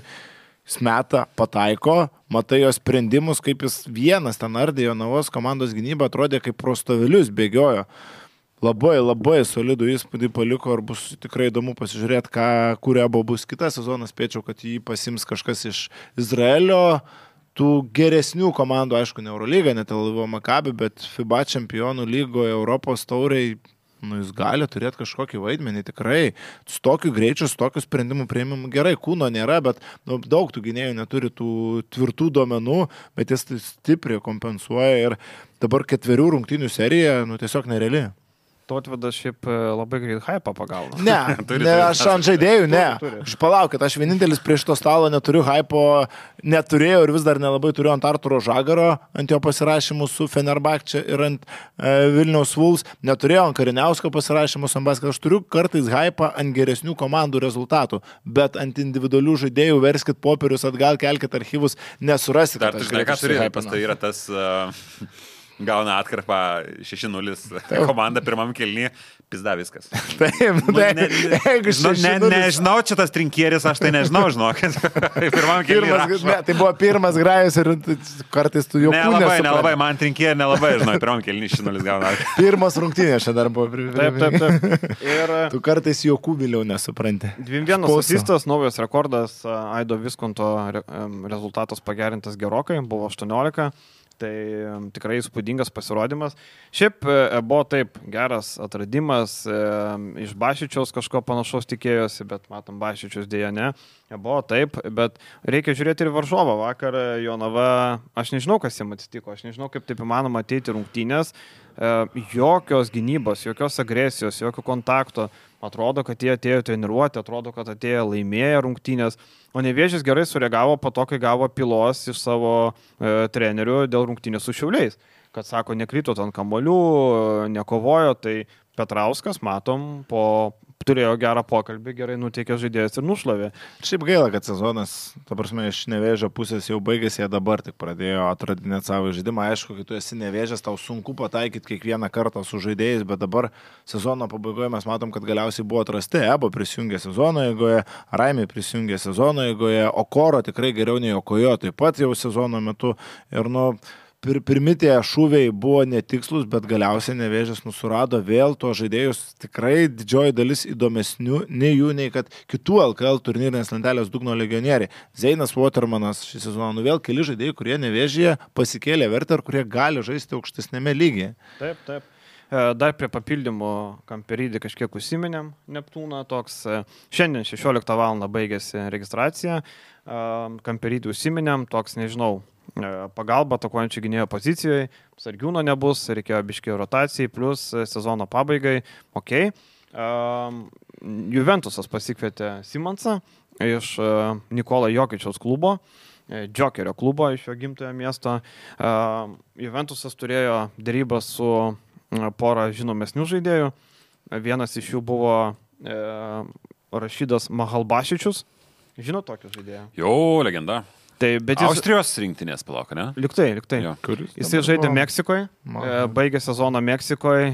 jis meta, pataiko, matai jo sprendimus, kaip jis vienas ten ardė Jonavos komandos gynybą, atrodė kaip prostovilius bėgiojo. Labai solidų įspūdį paliko ir bus tikrai įdomu pasižiūrėti, kuria bus kitą sezoną. Spėčiau, kad jį pasims kažkas iš Izraelio, tų geresnių komandų, aišku, ne Eurolyga, ne Tel Avivo Maccabi, bet FIBA čempionų lygoje, Europos tauriai, jis gali turėti kažkokį vaidmenį tikrai. Su tokiu greičiu, su tokiu sprendimu prieimimu gerai, kūno nėra, bet daug tų gynėjų neturi tų tvirtų duomenų, bet jis stipriai kompensuoja ir dabar 4 rungtynių serija, tiesiog nereali. Tautvydas šiaip labai greit hypą pagauna. Ne, aš ant žaidėjų, ne. Aš palaukit, aš vienintelis prieš to stalo neturiu hypo, neturėjau ir vis dar nelabai turiu ant Arturo Žagaro, ant jo pasirašymų su Fenerbahče ir ant Vilniaus Wolves, neturėjau ant Kariniausko pasirašymų su Ambaskas, aš turiu kartais hypą ant geresnių komandų rezultatų, bet ant individualių žaidėjų verskit popierius atgal, kelkit archyvus, nesurasit. Dar tu žinai, ką turi hypas, tai yra tas... Gauna atkarpą 6-0 komanda pirmam kėlinį, pizda viskas. Taip, nežinau, čia tas trinkieris, aš tai nežinau, žinokit. Pirmam kėlinį. Tai buvo pirmas grajus ir kartais tu jau nelabai, man trinkierį nelabai, žinau, pirmam kėlinį 6-0 gauna. Pirmas rungtynės čia dar buvo. Taip. Ir tu kartais jokų vėliau nesupranti. 2-1 asistas, naujas rekordas, Aido Viskonto rezultatas pagerintas gerokai, buvo 18. Tai tikrai įspūdingas pasirodymas. Šiaip buvo taip geras atradimas, iš Bašičiaus kažko panašaus tikėjosi, bet matom, Bašičius dėja ne. Buvo taip, bet reikia žiūrėti ir varžovą. Vakar Jonava, aš nežinau, kas jam atsitiko, aš nežinau, kaip taip įmanoma ateiti rungtynės, jokios gynybos, jokios agresijos, jokio kontakto. Atrodo, kad jie atėjo treniruoti, atrodo, kad atėjo laimėję rungtynės. O Nevėžis gerai sureagavo po to, kai gavo pylos iš savo trenerių dėl rungtynės su Šiauliais. Kad sako, nekrito ant kamuolių, nekovojo, tai Petrauskas, matom, turėjo gerą pokalbį, gerai nuteikė žaidėjas ir nušlavė. Šiaip gaila, kad sezonas, ta prasme, iš Nevėžio pusės jau baigėsi, jie dabar tik pradėjo atradinėti savo žaidimą. Aišku, kai tu esi Nevėžės, tau sunku pataikyti kiekvieną kartą su žaidėjais, bet dabar sezono pabaigoje mes matom, kad galiausiai buvo atrasti. Ebo prisijungė sezono eigoje, Raimė prisijungė sezono eigoje, Okoro tikrai geriau nei Okojo, taip pat jau sezono metu. Ir pirmi tie šūviai buvo netikslus, bet galiausiai Nevėžis nusurado vėl to žaidėjus tikrai didžioji dalis įdomesnių nei jų, nei kad kitų LKL turnyrinės lentelės dugno legionieriai. Zeinas Watermanas šį sezoną, vėl keli žaidėjai, kurie Nevėžyje pasikėlė vertę ir kurie gali žaisti aukštesnėme lygyje. Taip. Dar prie papildymų Kamperydį kažkiek užsiminėm, Neptūną toks. Šiandien 16 val. Baigėsi registracija. Kamperydį užsiminėm, toks, nežinau, pagalba atakuojančio gynėjo pozicijoje. Sargiūno nebus, reikėjo biškiai rotacijai, plus sezono pabaigai. Ok. Juventusas pasikvietė Simonsą iš Nikola Jokičiaus klubo. Džokerio klubo iš jo gimtojo miesto. Juventusas turėjo dėrybą su porą žinomesnių žaidėjų. Vienas iš jų buvo Rašidas Mahalbašičius. Žinot tokį žaidėją? Jo, legenda. Tai, bet jis... Austrijos rinktinės palauk, ne? Liktai. Jo. Jisai žaidė Meksikoje, baigė sezoną Meksikoje,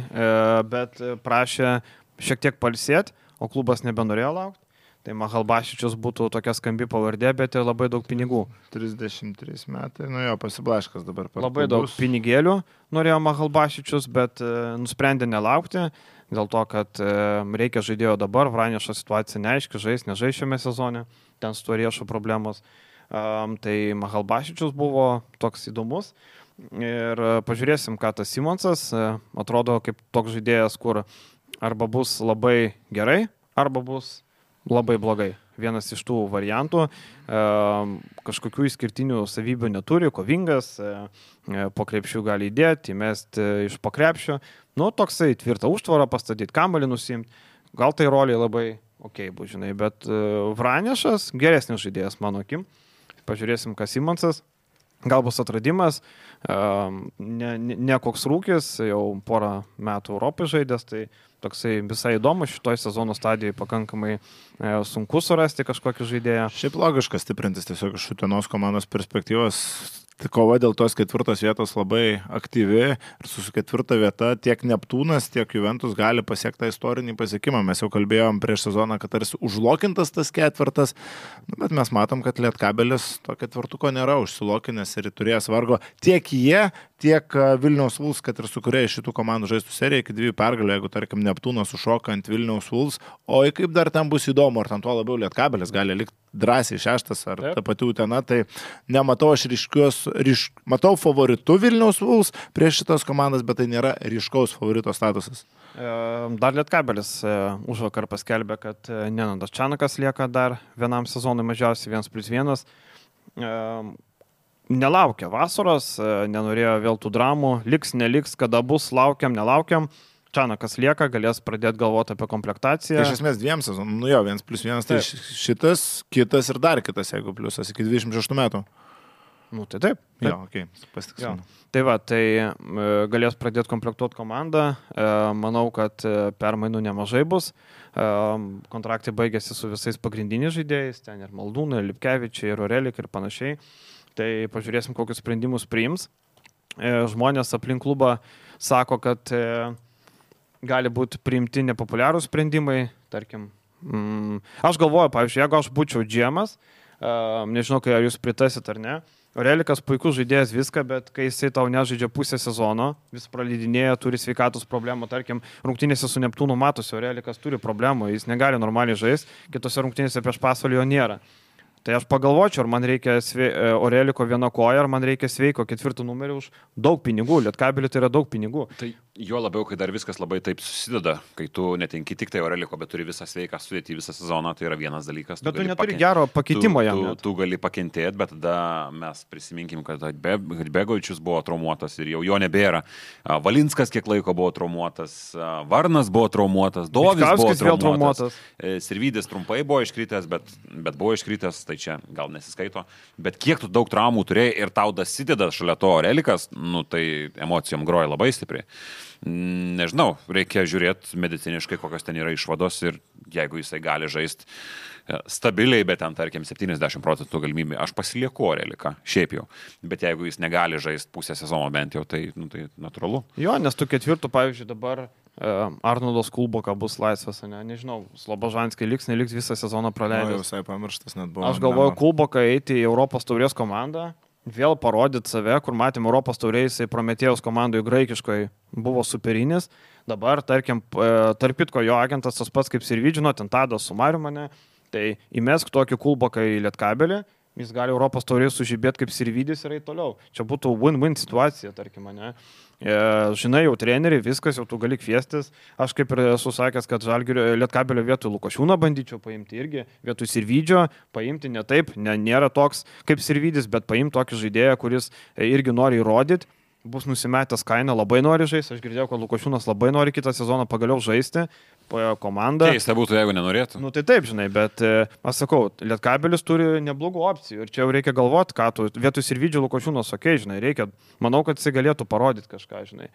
bet prašė šiek tiek pailsėti, o klubas nebenorėjo laukti. Tai Mahalbašičius būtų tokia skambi pavardė, bet ir labai daug pinigų. 33 metai, nu jo, pasiblaškas dabar. Labai daug pinigėlių norėjo Mahalbašičius, bet nusprendė nelaukti, dėl to, kad reikia žaidėjo dabar, Vranešo situacija neaiški, nežais šiame sezone, ten su tuo riešo problemos. Tai Mahalbašičius buvo toks įdomus ir pažiūrėsim, ką tas Simonsas atrodo kaip toks žaidėjas, kur arba bus labai gerai, arba bus labai blogai. Vienas iš tų variantų, kažkokių išskirtinių savybių neturi, kovingas, po krepšių gali įdėti, įmesti iš po krepšio. Nu, toksai tvirtą užtvarą pastatyti, kamuolį nusimti, gal tai roliai labai ok, bus, žinai, bet Vranešas geresnis žaidėjas, mano akim. Pažiūrėsim, kas Simonsas. Gal bus atradimas, ne koks rūkis, jau porą metų Europai žaidęs, tai toksai visai įdomu, šitoj sezono stadijoje pakankamai sunku surasti kažkokį žaidėją. Šiaip logiška stiprintis tiesiog iš Utenos komandos perspektyvos. Kova dėl tos 4 vietos labai aktyvi ir su 4 vieta tiek Neptūnas, tiek Juventus gali pasiekti tą istorinį pasiekimą. Mes jau kalbėjom prieš sezoną, kad tarsi užlokintas tas 4, bet mes matom, kad Lietkabelis to 4 nėra užsilokinęs ir turėjęs vargo tiek jie, tiek Vilniaus Vuls, kad ir su kuria iš šitų komandų žaistų serija iki 2 pergalių, jeigu tarkim Neptūnas sušoka ant Vilniaus Vuls, o kaip dar ten bus įdomu, ar ten tuo labiau Lietkabelis gali likti drąsiai 6 ar ta pati Utena, tai nematau aš matau favoritų Vilniaus Vuls prieš šitas komandas, bet tai nėra ryškaus favorito statusas. Dar Lietkabelis užvakar paskelbė, kad Nenadas Čanakas lieka dar vienam sezonui mažiausiai 1+1. Nelaukia vasaros, nenorėjo vėl tų dramų, liks, neliks, kada bus, laukiam, nelaukiam. Čanakas lieka, galės pradėti galvoti apie komplektaciją. Tai iš esmės 2 sezonų, nu jo, 1+1, tai šitas, kitas ir dar kitas, jeigu pliusas iki 26 metų. Nu, tai taip. Jo, okei, pasitiksime. Tai va, tai galės pradėti komplektuoti komandą. Manau, kad permainų nemažai bus. Kontraktai baigėsi su visais pagrindiniais žaidėjais, ten ir Maldūnai, ir Lipkevičiai, ir Orelik ir panašiai. Tai pažiūrėsim, kokius sprendimus priims. Žmonės aplink klubą sako, kad gali būti priimti nepopuliarūs sprendimai. Tarkim, aš galvoju, pavyzdžiui, jeigu aš būčiau GM'as, nežinau, kai ar jūs pritasit ar ne, Orelikas puikus žaidėjas viską, bet kai jisai tau nežaidžia pusę sezono, vis praleidinėja, turi sveikatos problemų, tarkim, rungtynėse su Neptūnu matosi, Orelikas turi problemų, jis negali normaliai žaisti, kitose rungtynėse prieš Pasvalį jo nėra. Tai aš pagalvočiau, ar man reikia Oreliko viena koja, ar man reikia sveiko 4 numerį už daug pinigų. Lietkabelį tai yra daug pinigų. Tai jo labiau, kai dar viskas labai taip susideda, kai tu netenki tik tai Oreliko, bet turi visą sveiką sudėti visą sezoną, tai yra vienas dalykas. Bet tu neturi gero pakeitimo jam. Tu gali pakentėti, bet tada mes prisiminkim, kad Begovičius buvo traumuotas ir jau jo nebėra. Valinskas kiek laiko buvo traumuotas, Varnas buvo traumuotas, Dovis buvo traumuotas. Sirvydis trumpai buvo iškritęs, bet buvo iškritęs. Tai čia gal nesiskaito, bet kiek tu daug traumų turėjai ir tau dasideda šalia to Orelikas, nu tai emocijom groja labai stipriai. Nežinau, reikia žiūrėti mediciniškai, kokios ten yra išvados ir jeigu jisai gali žaisti stabiliai, bet ten, tarkim, 70% galimybė, aš pasilieku Oreliką, šiaip jau. Bet jeigu jis negali žaisti pusę sezono bent jau, tai, nu, tai natūralu. Jo, nes tu 4, pavyzdžiui, dabar Arnoldas Kulboka bus laisvas, nežinau, Slobožanskiai liks, neliks visą sezoną praleidęs. Visai pamirštas net buvo. Aš galvoju, Kulboka eiti į Europos taurės komandą, vėl parodyti save, kur matėm Europos taurės, jisai Prometėjos komandoje graikiškoje buvo superinis. Dabar, tarkim, tarpitko jo agentas tas pats kaip Sirvidžino, ten Tadas su Mariu mane, tai įmesk tokį Kulboką į Lietkabelį jis gali Europos taurėje sužibėti kaip Sirvidis ir eiti toliau. Čia būtų win-win situacija, tarkim, ne? Žinai, jau treneriai, viskas, jau tu gali kviestis. Aš kaip ir esu sakęs, kad Žalgirio Lietkabelio vietoj Lukošiūną bandyčiau paimti irgi, vietoj Sirvidžio paimti ne taip, nėra toks kaip Sirvidis, bet paimti tokį žaidėją, kuris irgi nori įrodyti. Bus nusimetęs kainą, labai nori žaisti. Aš girdėjau, kad Lukošiūnas labai nori kitą sezoną pagaliau žaisti po komandą. Keista būtų, jeigu nenorėtų. Nu tai taip, žinai, bet aš sakau, Lietkabelis turi neblogų opcijų ir čia jau reikia galvoti, ką tu vietoj Sirvidžio Lukošiūnas, okei, žinai, reikia, manau, kad jisai galėtų parodyti kažką, žinai.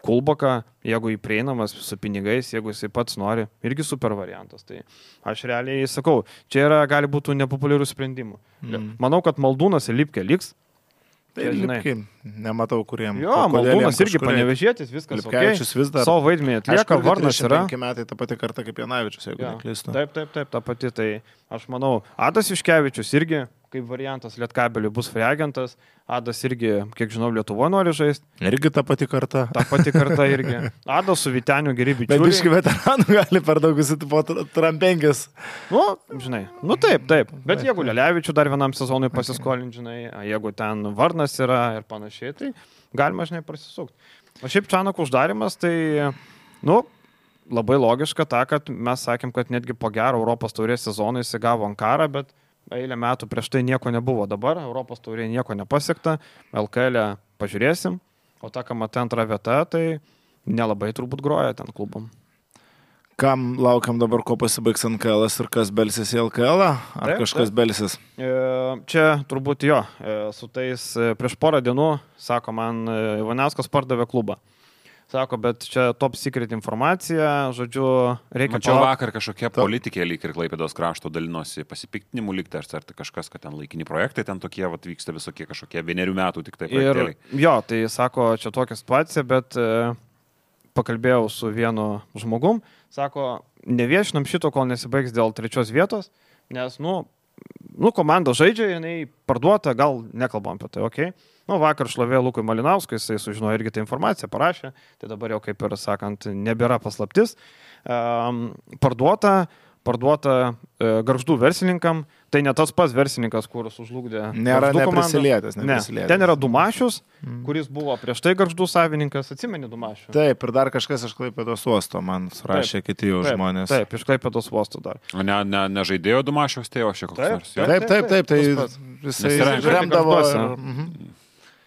Kulboka, jeigu jį prieinamas su pinigais, jeigu jisai pats nori, irgi super variantas. Tai aš realiai sakau, čia gali būti nepopuliarių sprendimų. Manau, kad Maldūnas ir Lipkė liks. Tai Lipkė, nematau kuriem. Jo, Maldūnas irgi Panevežėtis, viskas. Lipkevičius vis dar. Savo vaidmenį atlieka, Varnas yra. 5 metai ta pati karta kaip Janavičius, jeigu neklystu. Taip, ta pati. Tai aš manau, Adas Juškevičius irgi kaip variantas Lietkabeliui bus free agentas. Adas irgi, kiek žinau, Lietuvoje nori žaisti. Irgi ta pati karta. Ta pati karta irgi. Adas su Vyteniu geri bičiuliai. Bet biški veteranų gali per daug po trampenkės. Nu, žinai, nu taip. Bet jeigu Lelevičių dar vienam sezonui pasiskolinti, žinai, jeigu ten Varnas yra ir panašiai, tai galima, žinai, prasisukti. O šiaip Čanako uždarimas, tai, nu, labai logiška ta, kad mes sakėm, kad netgi po gero Europos taurės sezoną jis gavo Ankarą, bet eilę metų prieš tai nieko nebuvo. Dabar Europos taurėje nieko nepasiekta, LKL pažiūrėsim, o ta, kam matė antrą vietą, tai nelabai turbūt groja ten klubom. Kam laukiam dabar, ko pasibaigs NKL ir kas belsis į LKL, ar taip, kažkas taip. Belsis? Čia turbūt jo, su tais prieš porą dienų, sako man, Ivanauskas pardavė klubą. Sako, bet čia top secret informacija, žodžiu, reikia... Mačiau vakar kažkokie politikė lyg ir Klaipėdos krašto dalinosi pasipiktinimų lygti, ar tai kažkas, kad ten laikini projektai, ten tokie vyksta visokie kažkokie 1 metų tik tai projektėliai. Jo, tai sako, čia tokia situacija, bet pakalbėjau su vienu žmogum, sako, neviešinam šito, kol nesibaigs dėl 3 vietos, nes, komanda žaidžia, jinai parduota, gal nekalbam apie tai, okei. Vakar šlovė Lukui Malinauskui, jisai sužinojo irgi tą informaciją, parašė, tai dabar jau, kaip ir sakant, nebėra paslaptis. Parduota Gargždų verslininkam, tai ne tas pats verslininkas, kuris užlugdė. Nėra neprisilietęs. Ten yra Dumašius, kuris buvo prieš tai Gargždų savininkas, atsimeni Dumašių? Taip, ir dar kažkas iš Klaipėdos uosto, man surašė kiti jau žmonės. Taip, iš Klaipėdos uosto dar. O ne žaidėjo Dumašiaus tėvo šiek tiek nors? Taip, tai jisai remdavo.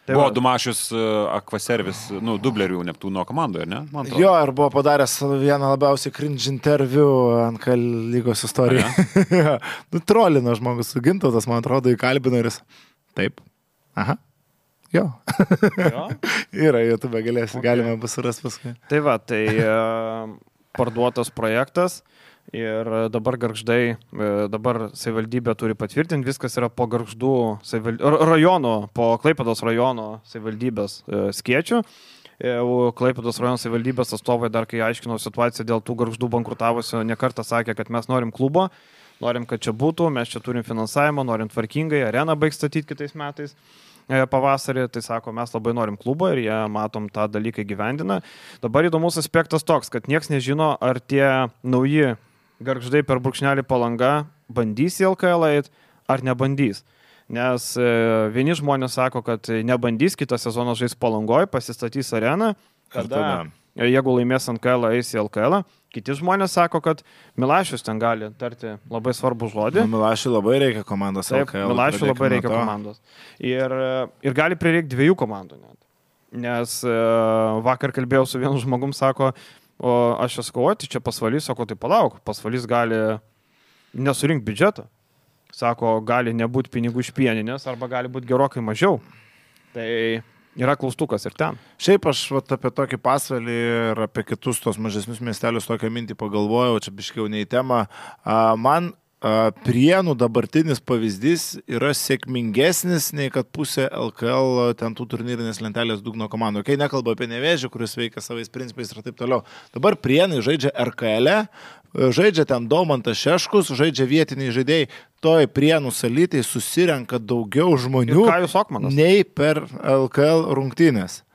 Buvo Dumašius Aquaservice, dublerių Neptūno komandoje, ne? Jo, ir buvo padaręs vieną labiausiai cringe interviu NKL lygos istorijoje. Trolino žmogus su Gintautas, man atrodo, įkalbino ir jis. Taip. Aha. Jo. Yra YouTube, galima bus surasti paskui. Tai va, tai parduotas projektas. Ir dabar Gargždai, dabar savivaldybė turi patvirtinti, viskas yra po Gargždų rajono, po Klaipėdos rajono savivaldybės skėčių. Klaipėdos rajono savivaldybės atstovai dar, kai aiškino situaciją dėl tų Gargždų bankrutavusio, nekartą sakė, kad mes norim klubo, norim, kad čia būtų, mes čia turim finansavimą, norim tvarkingai, areną baigs statyti kitais metais. Pavasarį, tai sako, mes labai norim klubą ir jie, matom, tą dalyką gyvendina. Dabar įdomus aspektas toks, kad nieks nežino, ar tie nauji Gargždai per brūkšnelį Palanga bandys į LKL eit, ar nebandys. Nes vieni žmonės sako, kad nebandys, kitą sezoną žais Palangoj, pasistatys areną, kada jeigu laimės NKL, eis į LKL. Kiti žmonės sako, kad Milašius ten gali tarti labai svarbų žodį. Milašiui labai reikia komandos LKL. Taip, Milašiui labai reikia komandos. Ir gali prireikti 2 komandų net. Nes vakar kalbėjau su vienu žmogum, sako, o aš sakau, tai čia Pasvalys, sako, tai palauk, Pasvalys gali nesurinkti biudžetą. Sako, gali nebūti pinigų iš pieninės arba gali būti gerokai mažiau. Tai yra klaustukas ir ten. Šiaip aš apie tokį Pasvalį ir apie kitus tos mažesnius miestelius tokią mintį pagalvojau, čia biškiau ne į temą. Man Prienų dabartinis pavyzdys yra sėkmingesnis nei kad pusė LKL ten tų turnyrinės lentelės dugno komandų. Kai nekalba apie Nevėžį, kuris veikia savais principais ir taip toliau. Dabar Prienai žaidžia RKL, žaidžia ten Daumantas Šeškus, žaidžia vietiniai žaidėjai. Toj Prienų salytei susirenka daugiau žmonių nei per LKL rungtynės.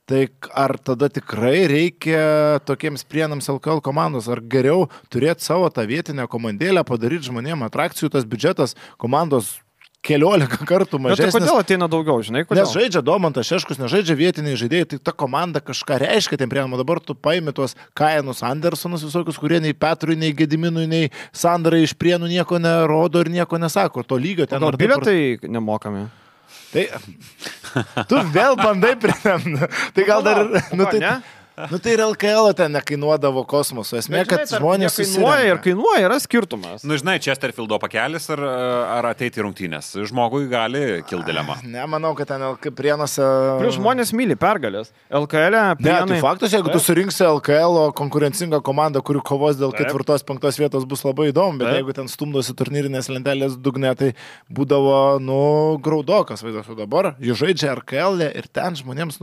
Tai ar tada tikrai reikia tokiems Prienams LKL komandos, ar geriau turėti savo tą vietinę komandėlę, padaryti žmonėms atrakcijų, tas biudžetas komandos keliolika kartų Bet tai mažesnis. kodėl ateina daugiau, žinai, kodėl? Nes žaidžia Domantas Šeškus, nežaidžia vietiniai žaidėjai, tai ta komanda kažką reiškia tiem priemama. Dabar tu paimi tuos Kajanus Andersonus visokius, kurie nei Petrui, nei Gediminui, nei Sandarai iš Prienų nieko nerodo ir nieko nesako. To lygio ten Gal bilietai nemokami? Tai tu vėl bandai pritemti. Tai gal dar... Tai ir LKL ten nekainuodavo kosmoso. Esmė, kad žmonės kainuoja, yra skirtumas. Nu, žinai, Chesterfieldo pakelis ar ateiti į rungtynės. Žmogui gali kilti dilema. Ne, manau, kad ten Prienuose... Prieš žmonės myli pergalės. LKL... Ne, tai faktas, jeigu tu surinksi LKL konkurencingą komandą, kuri kovos dėl 4-5 vietos, bus labai įdomu, bet jeigu ten stumdosi turnyrinės lentelės dugne, tai būdavo, graudokas vaizdas. O dabar jie žaidžia LKL ir ten žmonėms,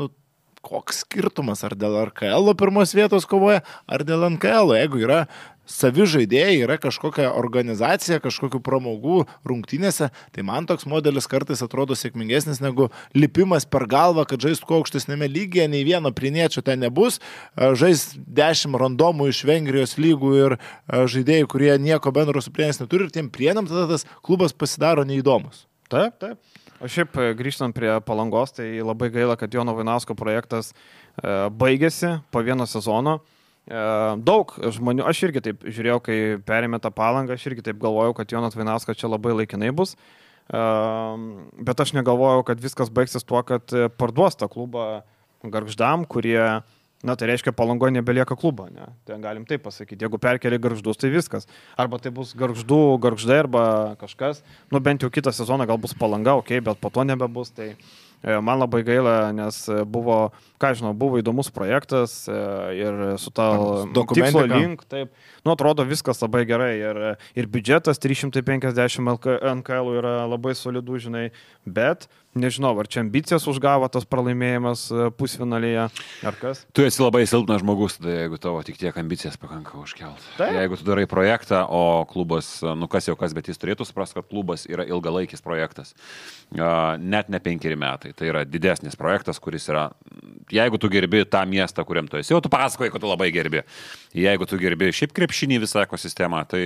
koks skirtumas, ar dėl RKL pirmos vietos kovoja, ar dėl NKL. Jeigu yra savi žaidėjai, yra kažkokia organizacija, kažkokių pramogų rungtynėse, tai man toks modelis kartais atrodo sėkmingesnis negu lipimas per galvą, kad žaist kuo aukštesnėme lygyje, nei vieno priniečio ten nebus, žaist 10 randomų iš Vengrijos lygų ir žaidėjai, kurie nieko bendro su Prienais neturi, ir tiem Prienam tada tas klubas pasidaro neįdomus. Taip, taip. O šiaip grįžtant prie Palangos, tai labai gaila, kad Jono Vainausko projektas baigėsi po vieno sezono. Daug žmonių, aš irgi taip žiūrėjau, kai perėmė tą Palangą, aš irgi taip galvojau, kad Jonas Vainauskas čia labai laikinai bus. Bet aš negalvojau, kad viskas baigsis tuo, kad parduos tą klubą Gargždam, kurie... tai reiškia, Palangoje nebelieka klubo, ne? Tai galim taip pasakyti. Jeigu perkeli Gargždus, tai viskas. Arba tai bus Gargždai arba kažkas. Bent jau kitą sezoną gal bus Palanga, bet po to nebebus. Tai man labai gaila, nes buvo, buvo įdomus projektas ir su ta tikslo link, taip. Atrodo viskas labai gerai ir biudžetas 350 NKL yra labai solidų, žinai, bet nežinau, ar čia ambicijas užgavo tas pralaimėjimas pusfinalyje, ar kas? Tu esi labai silpnas žmogus, tai jeigu tavo tik tiek ambicijas pakanka užkelt. Jeigu tu darai projektą, o klubas, kas jau kas, bet jis turėtų suprasti, kad klubas yra ilgalaikis projektas. Net ne 5 metai. Tai yra didesnis projektas, kuris yra, jeigu tu gerbi tą miestą, kuriam tu esi, jau tu pasakoji, kad tu labai gerbi. Jeigu tu gerbi šiaip krepšinį visą ekosistemą, tai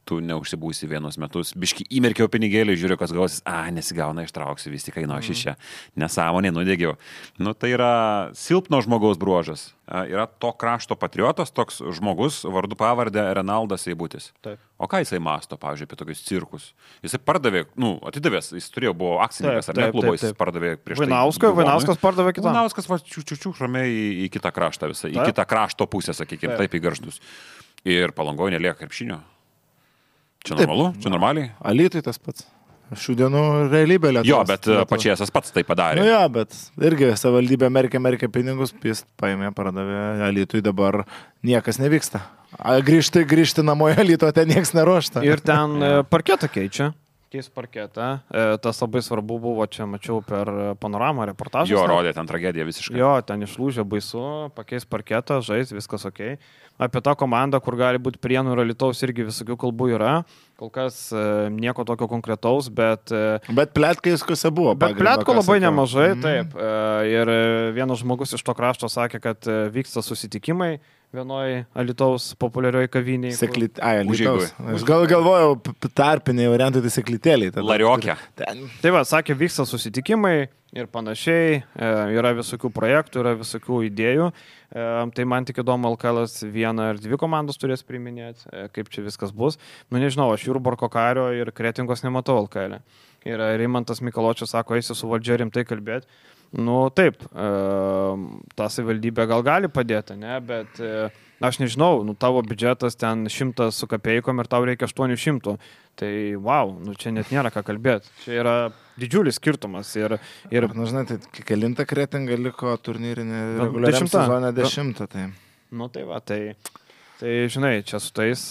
tu neužsibūsi vienus metus. Biški įmerkiau pinigėlį, žiūriu, kas gausis, nesigauna, ištrauksiu, vis tik einu aš iš čia. Nesąmonė, nudegiau. Tai yra silpno žmogaus bruožas. Yra to krašto patriotas, toks žmogus, vardu pavardė Renaldas Eibutis. Taip. O ką jisai masto, pavyzdžiui, apie tokius cirkus? Jisai pardavė, atidavęs, jis buvo akcininkas, ar ne klubo, jis pardavė prieš tai. Vainauskas pardavė kitą. Vainauskas ramiai į kitą kraštą visą, į kitą krašto pusę, sakykime, taip į Gargždus. Ir Palangoje nelieka krepšinio. Čia normalu? Čia normaliai? Alytui tas pats. Šių dienų realybė Lietuvos. Jo, bet Pačiesas pats tai padarė. Bet irgi savivaldybė Amerikė pinigus, jis paėmė, pardavė Alytui, dabar niekas nevyksta. Grįžti namo į Alytų, ten niekas neruošta. Ir ten parketą keičia. Keis parketą. Tas labai svarbu buvo, čia mačiau per Panoramą reportažą. Jo, rodė ten tragediją visiškai. Jo, ten išlūžė baisu, pakeis parketą, žais, viskas ok. Apie tą komandą, kur gali būti Prienų ir Alytaus, irgi visokių kalbų yra. Kol kas nieko tokio konkretaus, bet... Bet pletka viskuose buvo. Bet pletko labai nemažai, taip. Ir vienas žmogus iš to krašto sakė, kad vyksta susitikimai vienoje Alytaus populiarioje kavinėje. Alytaus. Aš galvojau, tarpiniai variantai tai seklytėliai. Lariokė. Tai va, sakė, vyksta susitikimai ir panašiai, yra visokių projektų, yra visokių idėjų. Tai man tik įdomu, LKL 1 ar 2 komandos turės priiminėti, kaip čia viskas bus. Nežinau, aš Jurbarko Kario ir Kretingos nematau LKL. Ir Rimantas Mikaločius sako, eisi su valdžia rimtai kalbėti. Taip, ta savivaldybė gal gali padėti, ne, bet aš nežinau, tavo biudžetas ten 100 su kapeikom ir tau reikia 800. Tai wow, čia net nėra ką kalbėti. Čia yra didžiulis skirtumas. Ir žinai, tai kelinta Kretinga liko turnyrinė reguliariam sezone 10. Tai. Tai va, tai žinai, čia su tais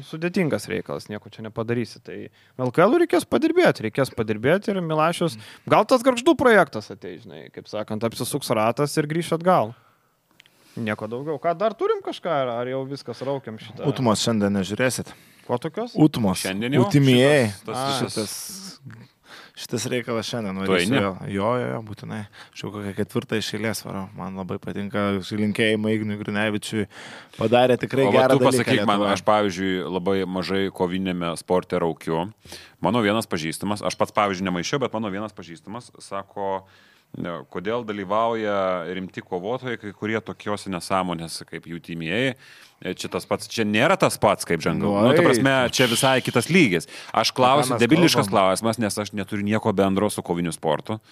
sudėtingas reikalas, nieko čia nepadarysi. Tai LKL reikės padirbėti ir Milašius, gal tas Gargždų projektas ateis, žinai, kaip sakant, apsisuks ratas ir grįš atgal. Nieko daugiau. Ką dar turim kažką, ar jau viskas raukiam šitą? Utmos šiandien nežiūrėsit. Ko tokios? Utmos. Šiandien jau. Utimieji. Šitas reikalas šiandien Tu eini? varysiu. Jo, būtinai. Aš jau kokią 4 iš eilės varau. Man labai patinka linkėjimai Ignui Grinevičiui. Padarė tikrai gerą dalyką. Tu pasakyk man, aš pavyzdžiui labai mažai kovinėme sporte raukiu. Mano vienas pažįstamas, aš pats pavyzdžiui nemaišiau, bet mano vienas pažįstamas sako, kodėl dalyvauja rimti kovotojai, kai kurie tokiose nesąmonėse kaip jų timėjai. Čia nėra tas pats kaip Jungle. Ta prasme, čia visai kitas lygis. Aš klausiu, debiliškas klausimas, nes aš neturiu nieko bendro su koviniu sportu.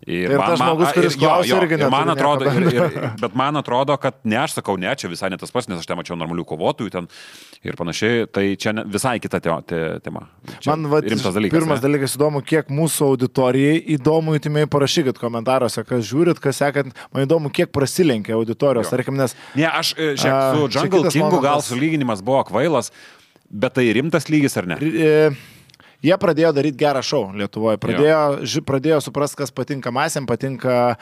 Ir tas žmogus, kuris klausia, irgi neturi. Bet man atrodo, kad ne, aš sakau, ne, čia visai ne tas pats, nes aš ten mačiau normalių kovotojų ten ir panašiai, tai čia visai kita tema. Čia man rimtas dalykas. Pirmas dalykas įdomu, kiek mūsų auditorijai įdomu, įtimiai parašykit komentaruose, kas žiūrit, kas sekant, man įdomu, kiek prasilenkia auditorijos, tarkim, nes... Ne, aš su Jungle Kingu gal sulyginimas buvo kvailas, bet tai rimtas lygis ar ne? Jie pradėjo daryti gerą šou Lietuvoje. Pradėjo suprasti, kas patinka masėm, patinka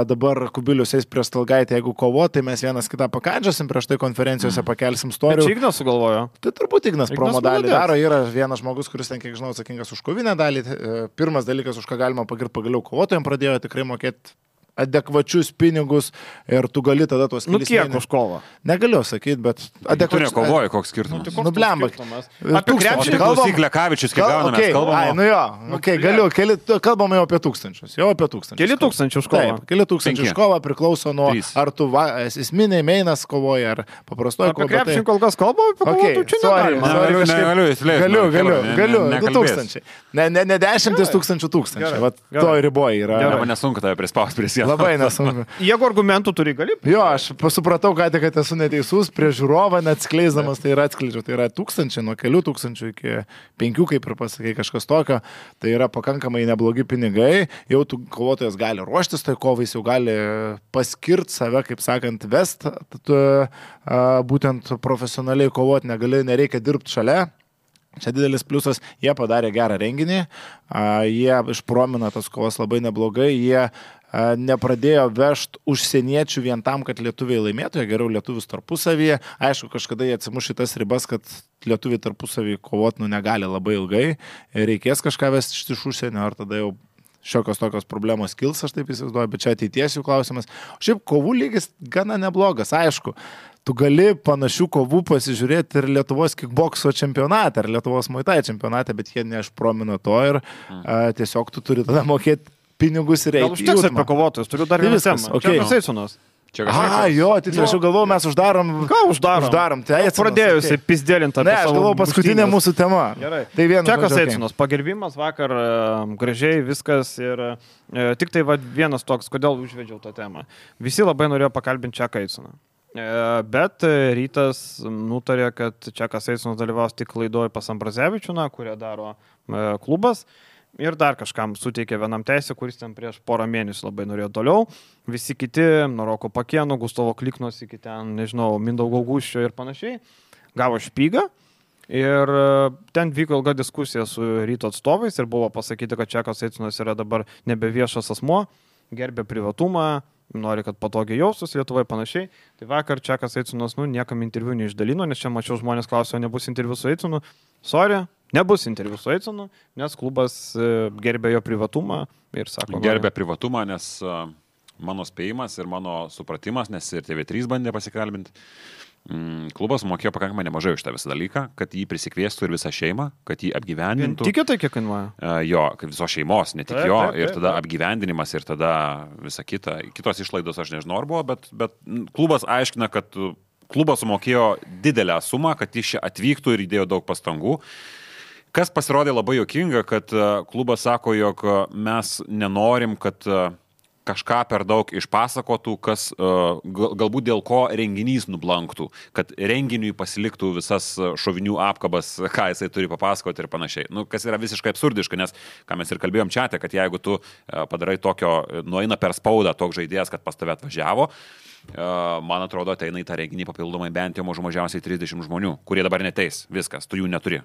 dabar Kubilius eis prie Stalgaitį, jeigu kovo, tai mes vienas kitą pakandžiasim, prieš tai konferencijose pakelsim storių. Čia Ignas sugalvojo. Tai turbūt Ignas promo dalį daro. Yra vienas žmogus, kuris ten, kiek žinau, atsakingas už kovinę dalį. Pirmas dalykas, už ką galima pagirti, pagaliau kovotojams pradėjo tikrai mokėti adekvačius pinigus ir tu gali tada tuos kelis mėnesius. Kiek už kovą? Negaliu sakyti, bet adekvačius. Tu nekovoji, koks skirtumas? Blemba. Apie krepšinį klausyk Lekavičius, kiek gauname, mes kalbame. Kalbame jau apie tūkstančius. Keli tūkstančių už kovą. Keli tūkstančių už kovą priklauso nuo, ar tu esminiai meinas kovoji, ar paprastoji kovoji. Apie krepšinį kol kas kalbame, apie kovotų čia Galiu, 2000. Ne 10 tūkstančių. To riboje yra. Man nesunku tave prispausti prie sienos. Labai nesunku. Jeigu argumentų turi, gali. Jo, aš supratau, kad esu neteisus, prie žiūrovą neatskleisdamas, tai yra atskleidžiu. Tai yra 1000, nuo kelių tūkstančių iki 5, kaip ir pasakai, kažkas tokio. Tai yra pakankamai neblogi pinigai. Jau tu kovotojas gali ruoštis, tai kovais jau gali paskirti save, kaip sakant, vest. Būtent profesionaliai kovoti nereikia dirbti šalia. Čia didelis pliusas, jie padarė gerą renginį, jie išpromino tas kovas labai neblogai, jie nepradėjo vežti užsieniečių vien tam, kad lietuviai laimėtų, jie geriau lietuvius tarpusavyje. Aišku, kažkada jie atsimuš į tas ribas, kad lietuviai tarpusavyje kovoti negali labai ilgai, reikės kažką vesti iš užsienio, ar tada jau šiokios tokios problemos kils, aš taip įsivaizduoju, bet čia ateities jų klausimas. Šiaip kovų lygis gana neblogas, aišku. Tu gali panašių kovų pasižiūrėti ir Lietuvos kickbokso čempionate, ar Lietuvos muay-thai čempionate, bet jie neišpromino to ir tiesiog tu turi tada mokėti pinigus ir reikia. Gal užteks apie kovotojus, turiu dar vieną temą. Okay. Čia Eisonas. Jo, tiksliai, aš galvoju, mes uždarom. Ką uždarom? Tai pradėjusi pizdėlinti apie savo. Ne, aš galvoju, paskutinė mūsų tema. Gerai. Tai vienas. Čekas Eisonas, pagerbimas vakar, gražiai viskas ir tik tai vienas toks, kodėl užvedžiau tą temą. Visi labai norėjo pakalbinti Čeką Eisoną. Bet Rytas nutarė, kad Čekas Eisonas dalyvaus tik laidoje pas Ambrazevičių, kurią daro klubas. Ir dar kažkam suteikė vienam teisę, kuris ten prieš porą mėnesių labai norėjo toliau. Visi kiti, nuo Roko Pakėno, Gustavo Kliknos iki ten, nežinau, Mindaugo Gūščio ir panašiai, gavo špygą. Ir ten vyko ilga diskusija su Ryto atstovais ir buvo pasakyti, kad Čekas Eisonas yra dabar nebe viešas asmuo, gerbė privatumą, nori, kad patogiai jaustus Lietuvoje panašiai. Tai vakar Čekas Eisonas, niekam interviu neišdalino, nes čia mačiau žmonės klausė, nebus interviu su Eisonu. Sorry. Nebus interviu su Eisonu, nes klubas gerbė jo privatumą ir sako... Gerbė privatumą, nes mano spėjimas ir mano supratimas, nes ir TV3 bandė pasikalbinti, klubas mokėjo pakankamai nemažai už tą visą dalyką, kad jį prisikviestų ir visą šeimą, kad jį apgyvendintų. Tikė tai kiek kainuoja? Jo, kaip visos šeimos, ne tik jo, ir tada apgyvendinimas ir tada visa kita. Kitos išlaidos aš nežinau ar buvo, bet klubas aiškina, kad klubas sumokėjo didelę sumą, kad jis čia atvyktų ir įdėjo daug pastangų. Kas pasirodė labai juokinga, kad klubas sako, jog mes nenorim, kad kažką per daug išpasakotų, kas galbūt dėl ko renginys nublanktų, kad renginiui pasiliktų visas šovinių apkabas, ką jisai turi papasakoti ir panašiai. Kas yra visiškai absurdiška, nes, ką mes ir kalbėjom čiate, kad jeigu tu padarai tokio, nueina per spaudą toks žaidėjas, kad pas tave atvažiavo, man atrodo, ateina į tą renginį papildomai bent jau mažiausiai 30 žmonių, kurie dabar neteis. Viskas, tu jų neturi.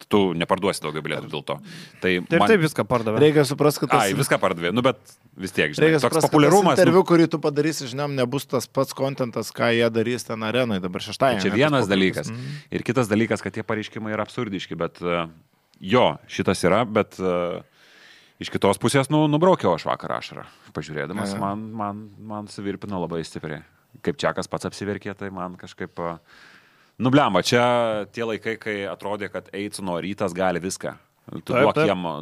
Tu neparduosi daugiau bilietų dėl to. Tai viską pardavė. Reikia suprasti, kad viską pardavė. Bet vis tiek, žinai, toks populiarumas. Interviu, kurį tu padarysi, žinom, nebus tas pats kontentas, ką jie darys ten arenoje dabar šeštąjį. Čia vienas dalykas. Ir kitas dalykas, kad tie pareiškimai yra absurdiški, bet jo, šitas yra, bet iš kitos pusės, nubraukiau aš vakar ašarą. Pažiūrėdamas, man suvirpino labai stipriai. Kaip Čiakas pats apsiverkė, tai man kažkaip... Nublemba, čia tie laikai, kai atrodė, kad Eitsono Rytas gali viską. Tu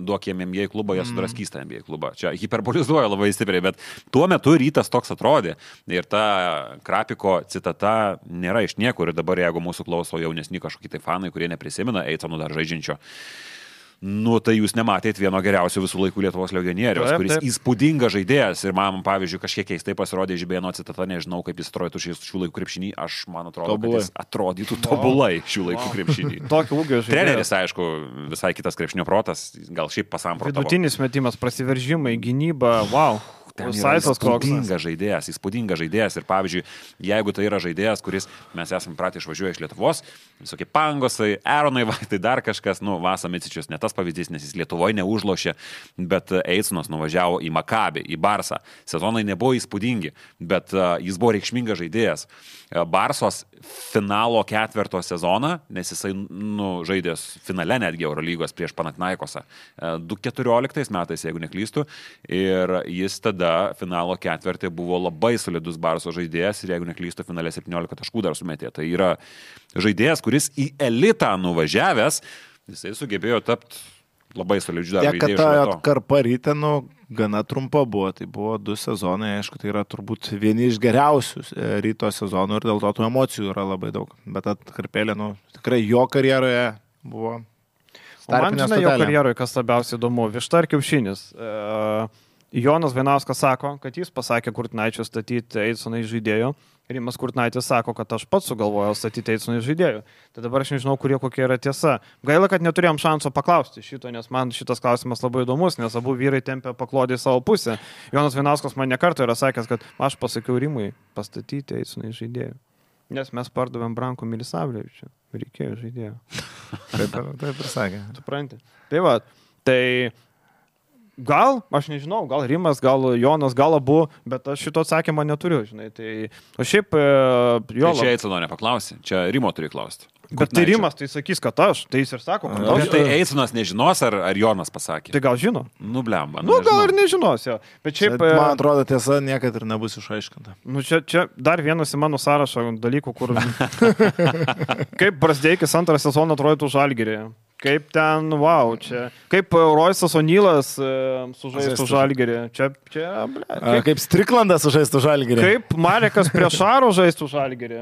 duok jiem NBA klubą, jie sudraskys tą NBA klubą. Čia hiperbolizuoja labai stipriai, bet tuo metu Rytas toks atrodė. Ir ta Krapiko citata nėra iš niekur. Ir dabar, jeigu mūsų klauso jaunesni kažkokie tai fanai, kurie neprisimena Eitsono dar žaidžiančio, tai jūs nematėt vieno geriausių visų laikų Lietuvos legionieriaus, kuris įspūdingas žaidėjas. Ir man, pavyzdžiui, kažkiek keistai pasirodė Žibėno citata, nežinau, kaip jis atrodytų šių laikų krepšinį. Aš, man atrodo, kad jis atrodytų tobulai šių laikų krepšinį. Tokio ūgio žaidėjas. Treneris, aišku, visai kitas krepšinio protas, gal šiaip pasamprotavo. Vidutinis metimas, prasiveržimai, gynyba, wow. Įspūdingas žaidėjas. Ir pavyzdžiui, jeigu tai yra žaidėjas, kuris mes esame pratę išvažiuoja iš Lietuvos, visokie Pangosai, Aronai, tai dar kažkas, Vasa Micičius, ne tas pavyzdys, nes jis Lietuvoje neužlošė, bet Eitsonas nuvažiavo į Makabį, į Barsą. Sezonai nebuvo įspūdingi, bet jis buvo reikšmingas žaidėjas. Barsos finalo 4 sezoną, nes jisai žaidės finale netgi Eurolygos prieš Panathinaikosą 2014 metais, jeigu neklystu, ir jis tada finalo 4 buvo labai solidus Barso žaidėjas ir jeigu neklystu, finale 17 taškų dar sumetė. Tai yra žaidėjas, kuris į elitą nuvažiavęs, jisai sugebėjo tapti labai solidžiu dar žaidėju. Kad ta atkarpa Ryte, gana trumpa buvo, tai buvo 2 sezonai, aišku, tai yra turbūt vieni iš geriausių Ryto sezonų ir dėl to tų emocijų yra labai daug. Bet atkarpėlė, tikrai jo karjeroje buvo startinė stotelė. Jo karjeroje, kas labiausiai įdomu, višta ar kiaušinis. Jonas Vainauskas sako, kad jis pasakė Kurtinaičio statyti Eitsoną iš žaidėjų. Rimas Kurtinaitis sako, kad aš pats sugalvojau statyti Eitsoną iš žaidėjų. Tai dabar aš nežinau, kokia yra tiesa. Gaila, kad neturėjom šanso paklausti šito, nes man šitas klausimas labai įdomus, nes abu vyrai tempė paklodį į savo pusę. Jonas Vainauskas man nekartą yra sakęs, kad aš pasakiau Rimui pastatyti Eitsoną iš žaidėjų. Nes mes pardavėm Branko Milisavljevičių. Reikėjo žaidėjų. Taip ir sakė. Supranti. Tai va, tai... Gal, aš nežinau, gal Rimas, gal Jonas, gal abu, bet aš šito atsakymo neturiu, žinai. Tai, o šiaip... Tai čia Eitsono nepaklausi, čia Rimo turi klausti. Bet tai Rimas tai sakys, kad aš, tai jis ir sako, kad aš. Bet tai Eitsonas nežinos, ar Jonas pasakė? Tai gal žino? Blemba. Gal ir nežinos, jo. Bet šiaip... Man atrodo, tiesa niekad ir nebus išaiškinta. Čia dar vienas į mano sąrašą dalykų, kur... Kaip Brasdeikis antrą sezoną atrodytų Žalgirėje. Kaip ten, wow, čia. Kaip Roisas O'Nealas sužaistų Žalgirį. Čia kaip Striklandas sužaistų Žalgirį. Kaip Marekas Priešaro žaistų Žalgirį.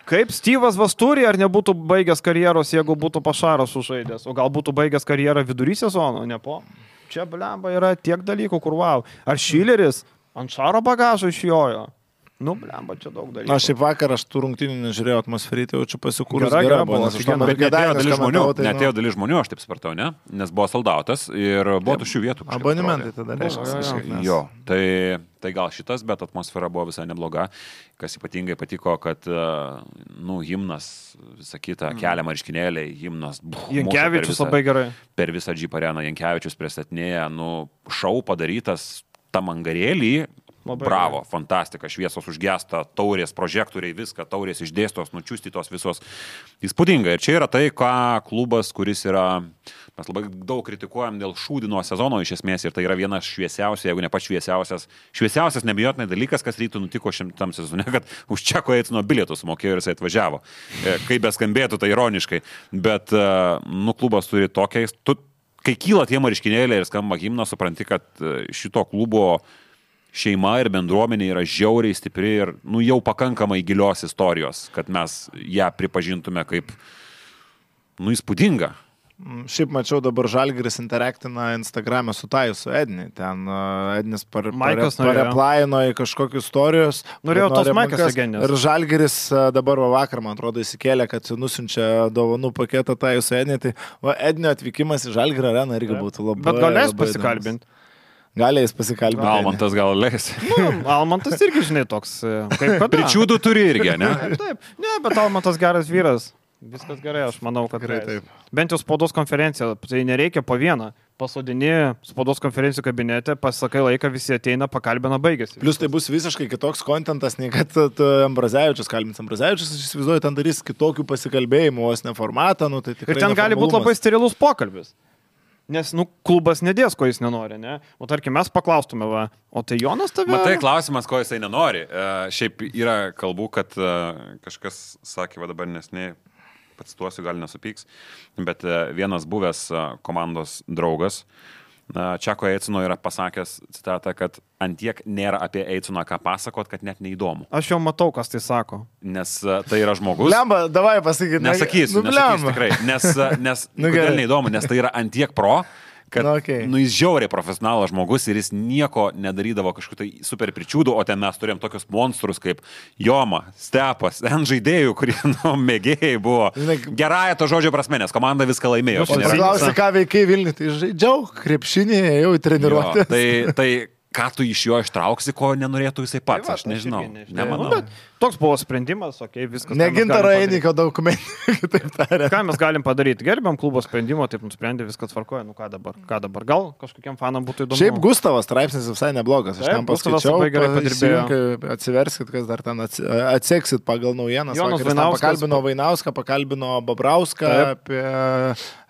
Kaip Steve'as Vasturi, ar nebūtų baigęs karjeros, jeigu būtų Pašaras sužaidęs. O gal būtų baigęs karjerą vidury sezono, ne po. Čia, blemba, yra tiek dalykų, kur wow. Ar Šileris ant Šaro bagažo išjojo. Blemba, čia daug dalykų. Aš šiaip vakar, aš tų rungtynių nežiūrėjau, atmosferį, tai jaučiu pasikūrus gera buvo. Netėjo dalis žmonių, aš taip supratau, ne? Nes buvo soldautas ir buvo tuščių vietų. Abonementai tada reiškia. Jo, tai gal šitas, bet atmosfera buvo visai nebloga. Kas ypatingai patiko, kad, himnas, visą kitą, kelia marškinėliai, himnas. Jankevičius labai gerai. Per visą Jeep areną Jankevičius pristatinėja, šou padarytas tam angarėlį. Bravo, fantastika, šviesos užgesta, taurės, prožektoriai, viską, taurės išdėstos, nučiustytos visos. Įspūdinga. Ir čia yra tai, ką klubas, kuris yra, mes labai daug kritikuojam dėl šūdino sezono iš esmės, ir tai yra vienas šviesiausias, jeigu ne pats šviesiausias nebijotinai dalykas, kas Rytui nutiko šitam sezone, kad už Čeko Eitsono bilietus sumokėjo ir jisai atvažiavo. Kaip beskambėtų, tai ironiškai. Bet, klubas turi tokią, kai kyla tie marškinėliai ir skamba himnas, supranti, kad šito klubo šeima ir bendruomenė yra žiauriai stipri ir jau pakankamai gilios istorijos, kad mes ją pripažintume kaip įspūdingą. Šiaip mačiau dabar Žalgiris interaktina Instagram'e su su Edni. Ten Ednis pareplaino į kažkokius istorijos. Norėjau tos Maikas legendės. Ir Žalgiris dabar vakar, man atrodo, įsikėlė, kad nusiunčia dovanų paketą su Edni. Tai Ednio atvykimas į Žalgirio areną irgi būtų labai... Bet galės pasikalbinti. Galės pasikalbėti. Almantas gal leis. Almantas irgi, žinai, toks kaip kada. Pričiūdų turi irgi, ne? Taip, bet Almantas geras vyras. Viskas gerai, aš manau, kad gerai. Bent jau spaudos konferencija, tai nereikia po vieną. Pasodini spaudos konferencijų kabinete, pasakai laiką, visi ateina, pakalbina, baigėsi. Plus tai bus visiškai kitoks kontentas, nei kad Ambrazevičius kalbins. Ambrazevičius, aš įsivaizduoju, ten darys kitokių pasikalbėjimų, vos ne formatą. Tai ir ten gali būti labai sterilus pokalbis. Nes, klubas nedės, ko jis nenori, ne? O tarkim, mes paklaustume, va, o tai Jonas tave... Matai, klausimas, ko jisai nenori. Šiaip yra kalbų, kad kažkas sakė, va dabar nesnei, pacituosiu, gal nesupyks, bet vienas buvęs komandos draugas, Čeko Eicino yra pasakęs citatą, kad antiek nėra apie Eiciną ką pasakot, kad net neįdomu. Aš jau matau, kas tai sako. Nes tai yra žmogus. Lemba, davai pasakyti. Nesakysiu tikrai. Nes kodėl neįdomu, nes tai yra antiek pro, kad jis žiauriai profesionalas žmogus ir jis nieko nedarydavo kažkokiu tai super pričiūdų, o ten mes turėjom tokius monstrus kaip Joma, Stepas, žaidėjų, kurie mėgėjai buvo. Gerąją to žodžio prasme, nes komanda viską laimėjo. Paklausi, ką veikai Vilniui, tai žaidžiau krepšinį, jau į treniruotę. Tai ką tu iš jo ištrauksi, ko nenorėtų jisai pats, aš nežinau. Nemanau. Toks buvo sprendimas, viskas. Negintaro Einiko dokumentai, kitaip tariant. Ką mes galim padaryti? Gerbiam klubo sprendimo, taip nusprendė, viskas tvarkoja, ką dabar? Gal kažkokiam fanam būtų įdomu? Šiaip Gustavas straipsnis visai neblogas, aš ten paskaičiau, atsiverskit, kas dar ten atseksit pagal naujienas. Jonas Vainauskas pakalbino Vainauską, pakalbino Babrauską apie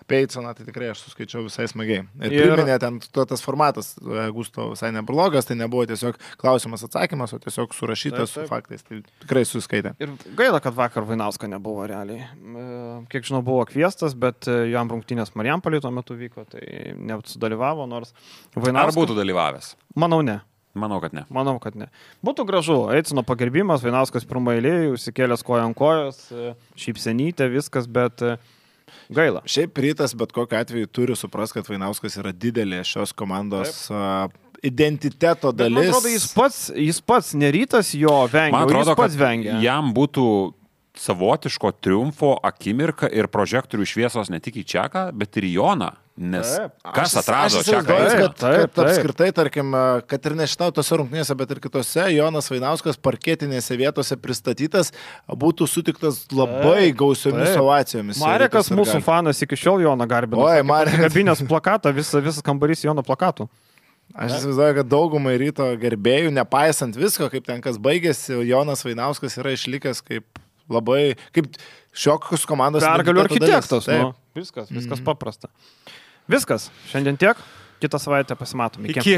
Eiconą, tai tikrai aš suskaičiau visai smagiai. Ir priminė ten tas formatas Gustavo visai neblogas, tai nebuvo tiesiog klausimas atsakymas, o tiesiog surašytas su faktais. Tai tikrai suskaitė. Ir gaila, kad vakar Vainausko nebuvo realiai. Kiek žinau, buvo kviestas, bet jam rungtynės Marijampolėje tuo metu vyko, tai nesudalyvavo, nors Vainauskas... Ar būtų dalyvavęs? Manau, ne. Manau, kad ne. Būtų gražu. Eicino pagerbimas, Vainauskas pirmą eilėje, užsikėlęs koją ant kojos, šypsenytė, viskas, bet... Gaila. Šiaip Rytas bet kokiu atveju turi supras, kad Vainauskas yra didelė šios komandos identiteto dalis. Man atrodo, jis pats ne Rytas jo vengia, man atrodo, jis pats vengia. Jam būtų savotiško triumfo akimirka ir prožektorių šviesos ne tik į Čeką, bet ir į Joną. Nes kas atrado Čeką? Taip. Apskritai, tarkim, kad ir ne šitau tose rungtynėse, bet ir kitose, Jonas Vainauskas parketinėse vietose pristatytas, būtų sutiktas labai gausiomis ovacijomis. Marekas mūsų fanas iki šiol Joną garbino. Oi, Marekas. Kabinės plakatą, visas kambarys Jono plakatų. Aš įsivaizduoju, kad daugumai Ryto gerbėjų, nepaisant visko, kaip ten kas baigėsi, Jonas Vainauskas yra išlikęs kaip labai, kaip šiokios komandos pergalių architektas. Viskas paprasta. Viskas. Šiandien tiek. Kitą savaitę pasimatom. Iki.